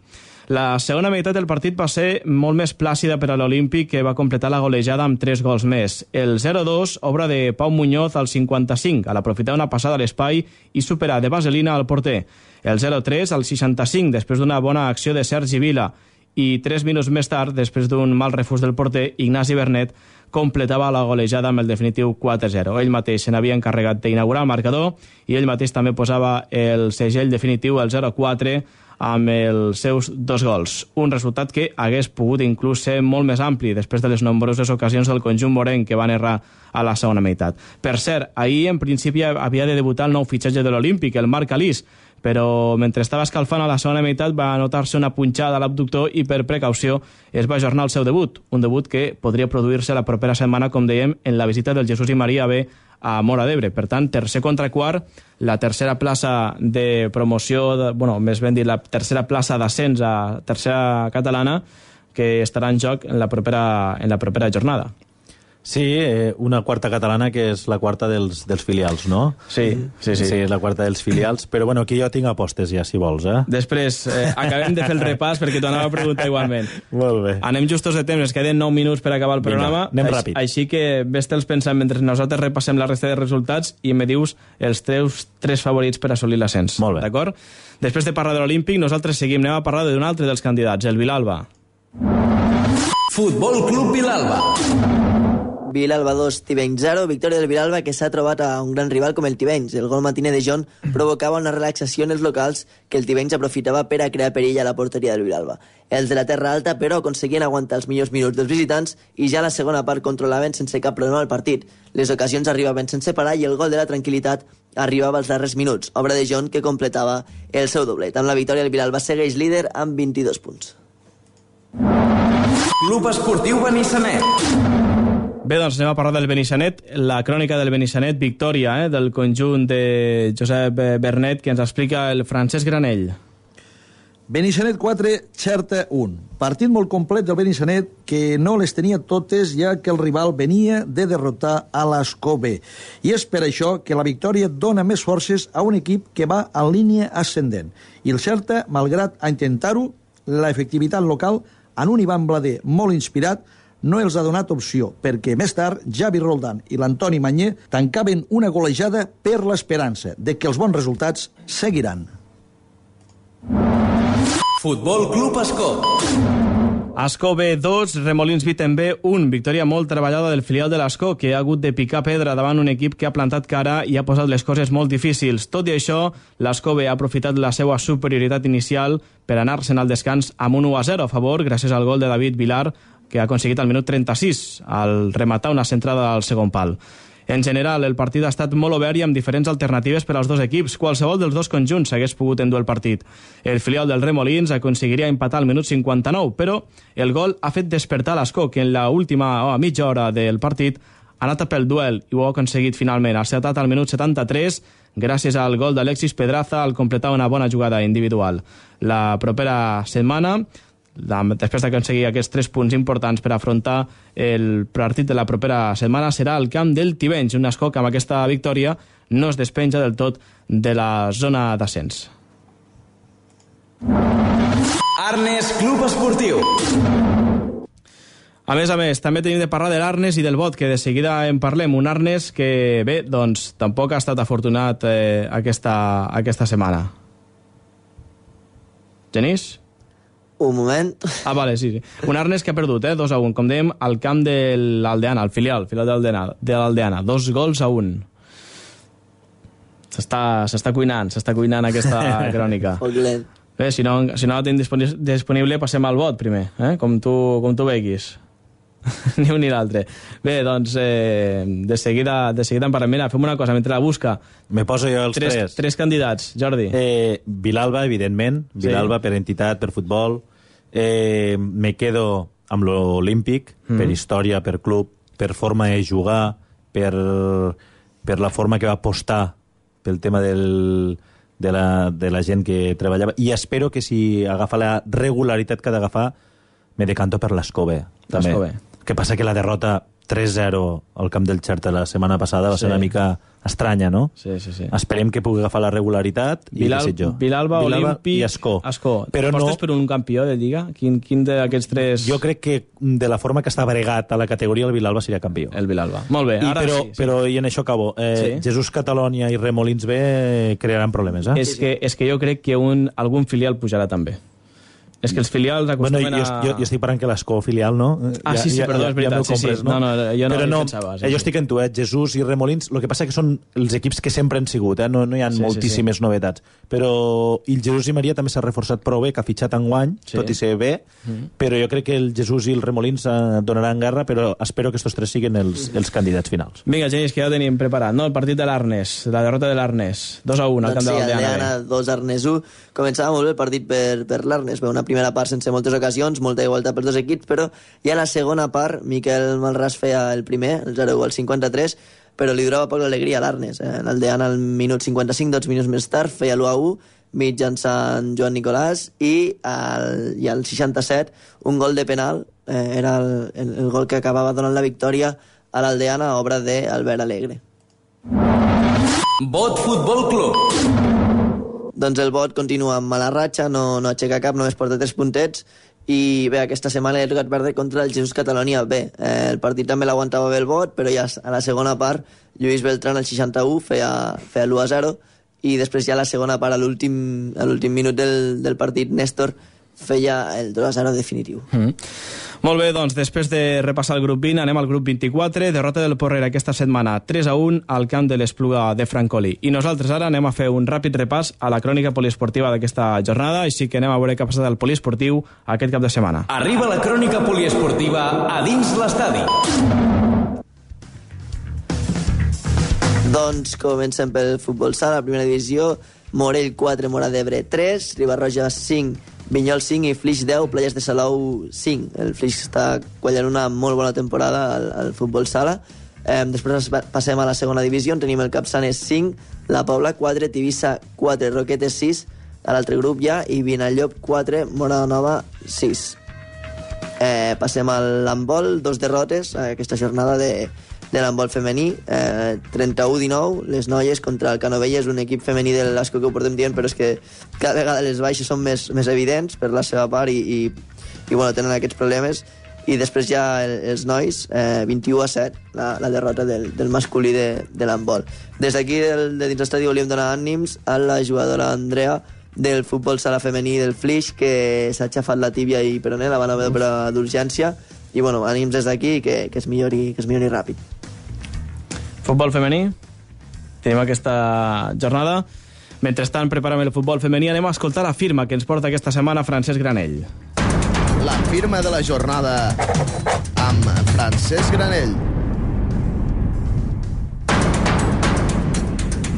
Speaker 3: La segona meitat del partit va ser molt més plàcida per a l'Olímpic, que va completar la golejada amb 3 gols més. El 0-2, obra de Pau Muñoz al 55, a l'aprofitar una passada a l'espai i superar de vaselina al porter. El 0-3 al 65, després d'una bona acció de Sergi Vila. I 3 minuts més tard, després d'un mal refús del porter, Ignasi Bernet completava la golejada amb el definitiu 4-0. Ell mateix se n'havia encarregat d'inaugurar el marcador i ell mateix també posava el segell definitiu, el 0-4, amb els seus 2 gols. Un resultat que hagués pogut inclús ser molt més ampli després de les nombroses ocasions del conjunt morenc que van errar a la segona meitat. Per cert, ahir en principi havia de debutar el nou fitxatge de l'Olímpic, el Marc Alís, però mentre estava escalfant a la segona meitat va notar-se una punxada a l'abductor i per precaució es va ajornar el seu debut, un debut que podria produir-se la propera setmana, com dèiem, en la visita del Jesús i Maria B a Móra d'Ebre. Per tant, tercer contra quart, la tercera plaça de promoció, més ben dit, la tercera plaça d'ascens a tercera catalana, que estarà en joc en la propera jornada.
Speaker 5: Sí, una quarta catalana que és la quarta dels filials, no?
Speaker 3: Sí.
Speaker 5: La quarta dels filials, però bueno, aquí jo tinc apostes ja, si vols, eh?
Speaker 3: Després, acabem de fer el repàs perquè t'ho anava a preguntar igualment.
Speaker 5: Molt bé.
Speaker 3: Anem justos de temps, ens queden 9 minuts per acabar el programa.
Speaker 5: Vinga, anem ràpid.
Speaker 3: Així que ves-te'ls pensant mentre nosaltres repassem la resta de resultats i me dius els teus 3 favorits per assolir l'ascens.
Speaker 5: Molt bé.
Speaker 3: D'acord? Després de parlar de l'Olímpic, nosaltres seguim, anem a parlar d'un altre dels candidats, el Vilalba.
Speaker 2: Futbol Club Vilalba.
Speaker 4: Vilalba 2, Tivenys 0, victòria del Vilalba, que s'ha trobat a un gran rival com el Tivenys. El gol matiner de John provocava una relaxació en els locals que el Tivenys aprofitava per a crear perill a la porteria del Vilalba. Els de la Terra Alta, però, aconseguien aguantar els millors minuts dels visitants i ja a la segona part controlaven sense cap problema el partit. Les ocasions arribaven sense parar i el gol de la tranquil·litat arribava als darrers minuts, obra de John que completava el seu doblet. Amb la victòria el Vilalba segueix líder amb 22 punts.
Speaker 2: Club Esportiu Benissanet.
Speaker 3: Bé, doncs anem a parlar del Benissanet, la crònica del Benissanet, victòria del conjunt de Josep Bernet, que ens explica el Francesc Granell.
Speaker 14: Benissanet 4, Xerta 1. Partit molt complet del Benissanet que no les tenia totes, ja que el rival venia de derrotar a l'Escó B. I és per això que la victòria dona més forces a un equip que va en línia ascendent. I el Xerta, malgrat a intentar-ho, l'efectivitat local, en un Ivan Blader molt inspirat, no els ha donat opció, perquè més tard Javi Roldán i l'Antoni Manyer tancaven una golejada per l'esperança de que els bons resultats seguiran.
Speaker 2: Futbol Club Ascó.
Speaker 3: Ascó B 2, Remolins Witten-B 1. Victòria molt treballada del filial de l'Ascó, que ha hagut de picar pedra davant un equip que ha plantat cara i ha posat les coses molt difícils. Tot i això, l'Ascó B ha aprofitat la seva superioritat inicial per anar-se'n al descans amb un 1-0 a favor, gràcies al gol de David Vilar, que ha aconseguit al minut 36, al rematar una centrada al segon pal. En general, el partit ha estat molt obert i amb diferents alternatives per als dos equips. Qualsevol dels dos conjunts hagués pogut endur el partit. El filial del Remolins aconseguiria empatar al minut 59, però el gol ha fet despertar l'Ascó, que en l'última mitja hora del partit ha anat a pel duel i ho ha aconseguit finalment. Ha acertat al minut 73, gràcies al gol d'Alexis Pedraza al completar una bona jugada individual. La propera setmana, després d'aconseguir aquests 3 punts importants per afrontar el partit de la propera setmana, serà el camp del Tivenys, un Ascó que amb aquesta victòria no es despenja del tot de la zona d'ascens.
Speaker 2: Arnes Club Esportiu.
Speaker 3: A més, també tenim de parlar de l'Arnes i del Bot, que de seguida en parlem. Un Arnes que, bé, doncs tampoc ha estat afortunat aquesta setmana. Genís?
Speaker 4: Un moment.
Speaker 3: Ah, vale, sí. Un Arnes que ha perdut, 2-1, com dèiem, al camp de l'Aldeana, el filial de l'Aldeana. 2 gols a 1. S'està cuinant aquesta crònica. Bé, si no la tenim disponible, passem al Bot primer, com tu veguis. Ni un ni l'altre. Bé, doncs, de seguida en parlem. Mira, fem una cosa, mentre la busca...
Speaker 5: Me poso jo els tres.
Speaker 3: Tres candidats, Jordi.
Speaker 5: Vilalba, evidentment. Vilalba per entitat, per futbol. Me quedo amb l'Olímpic, per història, per club, per forma de jugar, per la forma que va apostar pel tema de la gent que treballava. I espero que si agafa la regularitat que ha d'agafar, me decanto per l'Escove.
Speaker 3: L'Escove.
Speaker 5: Que passa que la derrota 3-0 al camp del Xerta la setmana passada va ser una mica estranya, no?
Speaker 3: Sí.
Speaker 5: Esperem que pugui agafar la regularitat i desitjo.
Speaker 3: Vilalba, Olímpic
Speaker 5: i Escó.
Speaker 3: Però apostes per un campió de Lliga? Quin d'aquests tres...
Speaker 5: Jo crec que de la forma que està bregat a la categoria el Vilalba seria campió.
Speaker 3: El Vilalba. Molt bé, ara sí.
Speaker 5: Però i en això acabo. Jesús Catalònia i Remolins B crearan problemes,
Speaker 3: És que jo crec que algun filial pujarà també. És que els filials acostumen
Speaker 5: jo estic parlant que l'Escó filial, no?
Speaker 3: Sí, perdó, és veritat.
Speaker 5: No,
Speaker 3: jo no pensava.
Speaker 5: Jo estic en tu, Jesús i Remolins. El que passa que són els equips que sempre han sigut, no hi ha moltíssimes novetats. Però el Jesús i Maria també s'ha reforçat prou bé, que ha fitxat enguany, tot i ser bé, però jo crec que el Jesús i el Remolins donaran guerra, però espero que estos tres siguin els candidats finals.
Speaker 3: Vinga, Genís, que ja ho tenim preparat, no? El partit de l'Arnes, la derrota de l'Arnes, 2-1 al camp de l'Aldeana.
Speaker 4: 2 Arnes 1. Començava molt bé el partit per l'Arnes, una primera part sense moltes ocasions, molta igualtat pels dos equips, però ja a la segona part Miquel Malràs feia el primer, el 0-1 al 53, però li durava poc l'alegria a l'Arnes. L'Aldeana al minut 55, 2 minuts més tard, feia l'1-1, mitjançant Joan Nicolàs, i al 67 un gol de penal, era el gol que acabava donant la victòria a l'Aldeana, obra d'Albert Alegre.
Speaker 2: Bot Futbol Club.
Speaker 4: Doncs el Bot continua amb mala ratxa, no aixeca cap, només porta 3 puntets, i bé, aquesta setmana ha tocat perdre contra el Jesús Catalònia B. El partit també l'aguantava bé el Bot, però ja a la segona part Lluís Beltrán al 61 feia l'1-0, i després ja a la segona part, a l'últim minut del partit, Néstor feia el 2-0 definitiu.
Speaker 3: Molt bé, doncs, després de repassar el grup 20, anem al grup 24, derrota del Porrera aquesta setmana, 3-1 al camp de l'Espluga de Francolí. I nosaltres ara anem a fer un ràpid repàs a la crònica poliesportiva d'aquesta jornada, així que anem a veure què ha passat al poliesportiu aquest cap de setmana.
Speaker 2: Arriba la crònica poliesportiva a dins l'estadi.
Speaker 4: Doncs comencem pel futbol sala, la primera divisió, Morell 4, Mora d'Ebre 3, Ribarroja 5, Vinyol 5 i Flix 10, Playas de Salou 5. El Flix està quallant una molt bona temporada al futbol sala. Després passem a la segona divisió, on tenim el Capçanes 5, la Pobla 4, Tivissa 4, Roquetes 6, a l'altre grup ja, i Vinallop 4, Moranova 6. Passem a l'handbol, 2 derrotes, aquesta jornada de l'handbol femení, 31-19, les noies contra el Canovelles, un equip femení de l'Asco que ho portem dient, però és que cada vegada les baixes són més evidents per la seva part i bueno, tenen aquests problemes. I després ja els nois, 21-7, la derrota del masculí de l'handbol. Des d'aquí, de dins l'estadi, volíem donar ànims a la jugadora Andrea del futbol sala femení del Flix, que s'ha aixafat la tíbia i peroné, la van haver d'operar d'urgència, i bueno, ànims des d'aquí, que es millori ràpid.
Speaker 3: Futbol femení, tenim aquesta jornada. Mentrestant, preparem el futbol femení, anem a escoltar la firma que ens porta aquesta setmana Francesc Granell.
Speaker 15: La firma de la jornada amb Francesc Granell.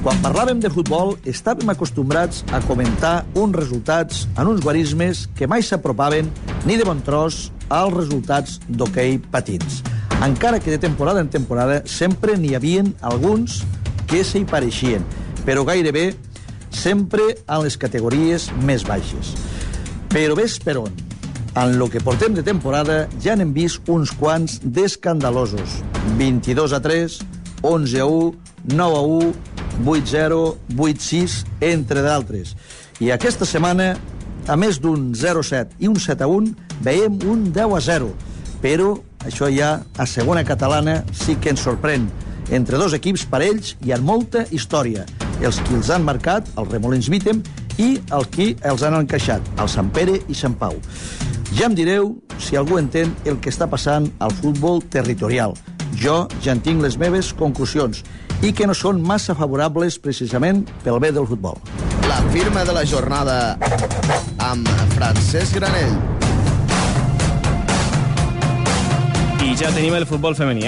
Speaker 14: Quan parlàvem de futbol, estàvem acostumbrats a comentar uns resultats en uns guarismes que mai s'apropaven ni de bon tros als resultats d'hoquei patins. Encara que de temporada en temporada sempre n'hi havien alguns que s'hi pareixien, però gairebé sempre en les categories més baixes. Però ves per on. En lo que portem de temporada ja n'hem vist uns quants d'escandalosos. 22-3, 11-1, 9-1, 8-0, 8-6, entre d'altres. I aquesta setmana, a més d'un 0-7 i un 7-1, veiem un 10-0. Però això ja a segona catalana sí que ens sorprèn. Entre dos equips parells hi ha molta història. Els qui els han marcat, el Remolins Vítem, i els qui els han encaixat, el Sant Pere i Sant Pau. Ja em direu si algú entén el que està passant al futbol territorial. Jo ja en tinc les meves conclusions i que no són massa favorables precisament pel bé del futbol.
Speaker 15: La firma de la jornada amb Francesc Granell.
Speaker 3: I ja tenim el futbol femení,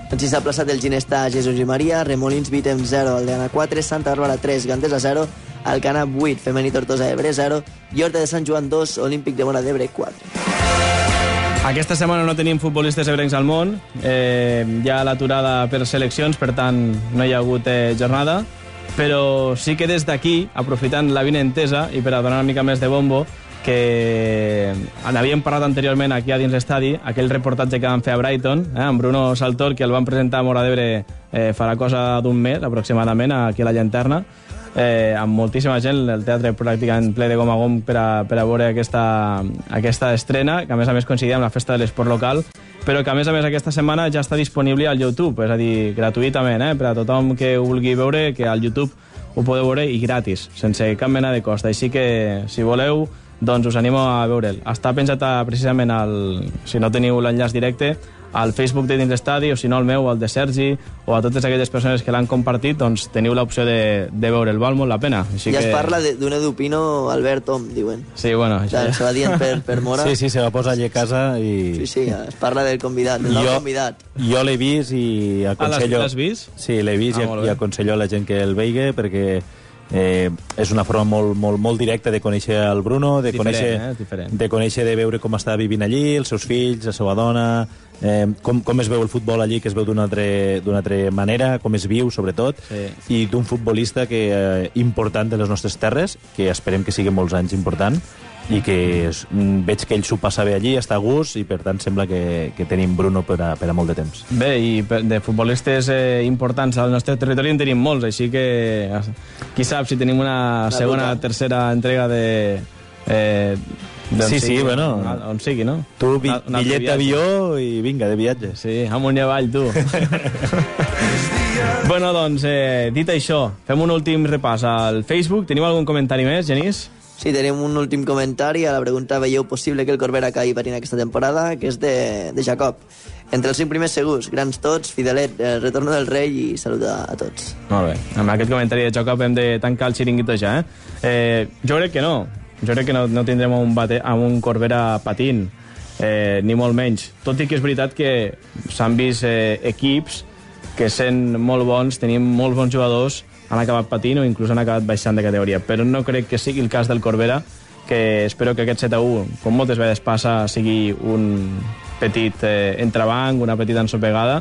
Speaker 4: En sisè plaçat el Ginestà Jesús i Maria, Remolins Vitem 0, Aldeana 4, Santa Bàrbara 3, Gandesa 0, Alcanar 8, Femení Tortosa Ebre 0 i Horta de Sant Joan 2, Olímpic de Móra d'Ebre 4.
Speaker 3: Aquesta setmana no tenim futbolistes ebrencs al món, hi ha l'aturada per seleccions, per tant no hi ha hagut jornada, però sí que des d'aquí, aprofitant la vinentesa i per a donar una mica més de bombo, que n'havíem parlat anteriorment aquí a dins l'estadi, aquell reportatge que van fer a Brighton, amb Bruno Saltor, que el van presentar a Móra d'Ebre fa la cosa d'un mes, aproximadament, aquí a la Llanterna, amb moltíssima gent, el teatre pràcticament ple de gom a gom per a veure aquesta estrena, que a més coincidia amb la festa de l'esport local, però que a més aquesta setmana ja està disponible al YouTube, és a dir, gratuïtament, per a tothom que ho vulgui veure, que al YouTube ho podeu veure i gratis, sense cap mena de cost. Així que, si voleu, doncs us animo a veure'l. Està penjat precisament, si no teniu l'enllaç directe, al Facebook de dins l'estadi, o si no al meu, al de Sergi, o a totes aquelles persones que l'han compartit, doncs teniu l'opció de veure'l, val molt la pena. Així
Speaker 4: ja
Speaker 3: que...
Speaker 4: es parla d'un Edupino Albert Tom, diuen.
Speaker 3: Sí, bueno...
Speaker 4: Això... Se va dient per Móra.
Speaker 5: Sí, se va posar allà a casa i...
Speaker 4: Sí, es parla del convidat, del nou convidat.
Speaker 5: Jo l'he vist i aconsello...
Speaker 3: L'has vist?
Speaker 5: Sí, l'he vist i aconsello a la gent que el veigui, perquè... és una forma molt directa de conèixer el Bruno, de conèixer, de veure com està vivint allí, els seus fills, la seva dona, com es veu el futbol allí, que es veu d'una altra manera, com es viu, sobretot, i d'un futbolista important de les nostres terres, que esperem que sigui molts anys important, i que veig que ell s'ho passa bé allí, està a gust, i per tant sembla que tenim Bruno per a molt de temps.
Speaker 3: Bé, i de futbolistes importants al nostre territori en tenim molts, així que qui sap si tenim una segona, tercera entrega de...
Speaker 5: Sí, bueno...
Speaker 3: On sigui, no?
Speaker 5: Tu, bitllet d'avió i vinga, de viatge.
Speaker 3: Sí, amunt i avall, tu. Bueno, doncs, dit això, fem un últim repàs al Facebook. Tenim algun comentari més, Genís?
Speaker 4: Sí, tenim un últim comentari a la pregunta veieu possible que el Corbera caigui patint aquesta temporada, que és de Jacob. Entre els 5 primers segurs, grans tots, Fidelet, el retorno del rei i salut a tots.
Speaker 3: Molt bé, amb aquest comentari de Jacob hem de tancar el xiringuito ja, Jo crec que no. Jo crec que no tindrem un Corbera patint, ni molt menys. Tot i que és veritat que s'han vist equips que sent molt bons, tenim molts bons jugadors, han acabat patint o inclús han acabat baixant de categoria. Però no crec que sigui el cas del Corbera, que espero que aquest 7-1, com moltes vegades passa, sigui un petit entrebanc, una petita ensopegada,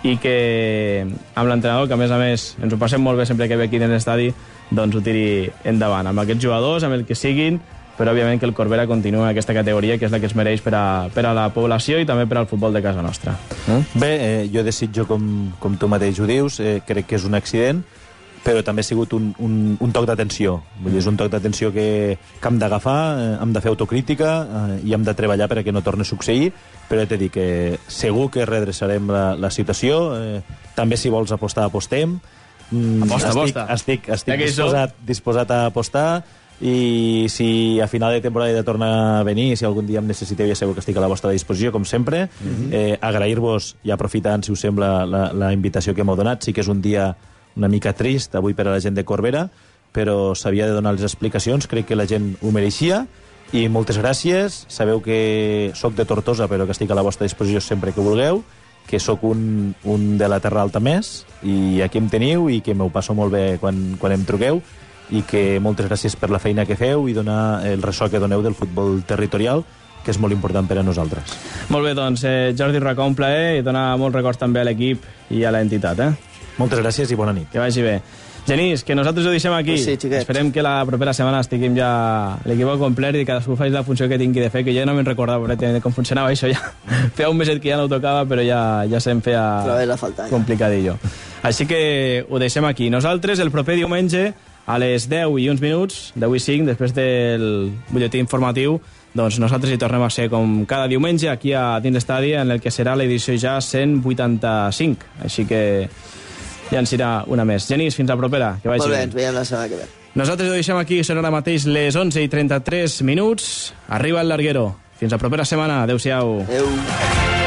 Speaker 3: i que amb l'entrenador, que a més ens ho passem molt bé sempre que ve aquí dins l'estadi, doncs ho tiri endavant. Amb aquests jugadors, amb el que siguin, però òbviament que el Corbera continua en aquesta categoria, que és la que es mereix per a la població i també per al futbol de casa nostra.
Speaker 5: Bé, jo desitjo, com tu mateix ho dius, crec que és un accident, però també ha sigut un toc d'atenció. Vull dir, és un toc d'atenció que hem d'agafar, hem de fer autocrítica i hem de treballar perquè no torni a succeir, però he de dir que segur que redreçarem la situació. També, si vols apostar, apostem.
Speaker 3: Aposta.
Speaker 5: Estic disposat a apostar, i si a final de temporada he de tornar a venir, si algun dia em necessiteu, ja sabeu que estic a la vostra disposició, com sempre. Agrair-vos, i aprofitant, si us sembla, la invitació que m'heu donat. Sí que és un dia una mica trist avui per a la gent de Corbera, però s'havia de donar les explicacions, crec que la gent ho mereixia, i moltes gràcies. Sabeu que sóc de Tortosa, però que estic a la vostra disposició sempre que vulgueu, que sóc un de la Terra Alta més, i aquí em teniu, i que m'ho passo molt bé quan em truqueu, i que moltes gràcies per la feina que feu i donar el ressò que doneu del futbol territorial, que és molt important per a nosaltres.
Speaker 3: Molt bé, doncs, Jordi Racó, un plaer, i donar molts records també a l'equip i a l'entitat,
Speaker 5: Moltes gràcies i bona nit.
Speaker 3: Que vagi bé. Genís, que nosaltres ho deixem aquí.
Speaker 4: Pues sí, xiquets.
Speaker 3: Esperem que la propera setmana estiguem ja l'equip al complet i cadascú faci la funció que tingui de fer, que ja no me'n recordava com funcionava això ja. Feia un meset que ja no ho tocava, però ja se'm feia complicadillo. Així que ho deixem aquí. Nosaltres, el proper diumenge, a les 10 i uns minuts, 10 i 5, després del butlletí informatiu, doncs nosaltres hi tornem a ser com cada diumenge aquí a dins l'estadi, en el que serà l'edició ja 185. Així que ja ens irà una més. Genís, fins la propera. Que vagi
Speaker 4: molt bé, ens veiem la setmana que ve.
Speaker 3: Nosaltres ho deixem aquí, són ara mateix les 11:33. Arriba el Larguero. Fins la propera setmana. Adéu-siau.
Speaker 4: Adéu.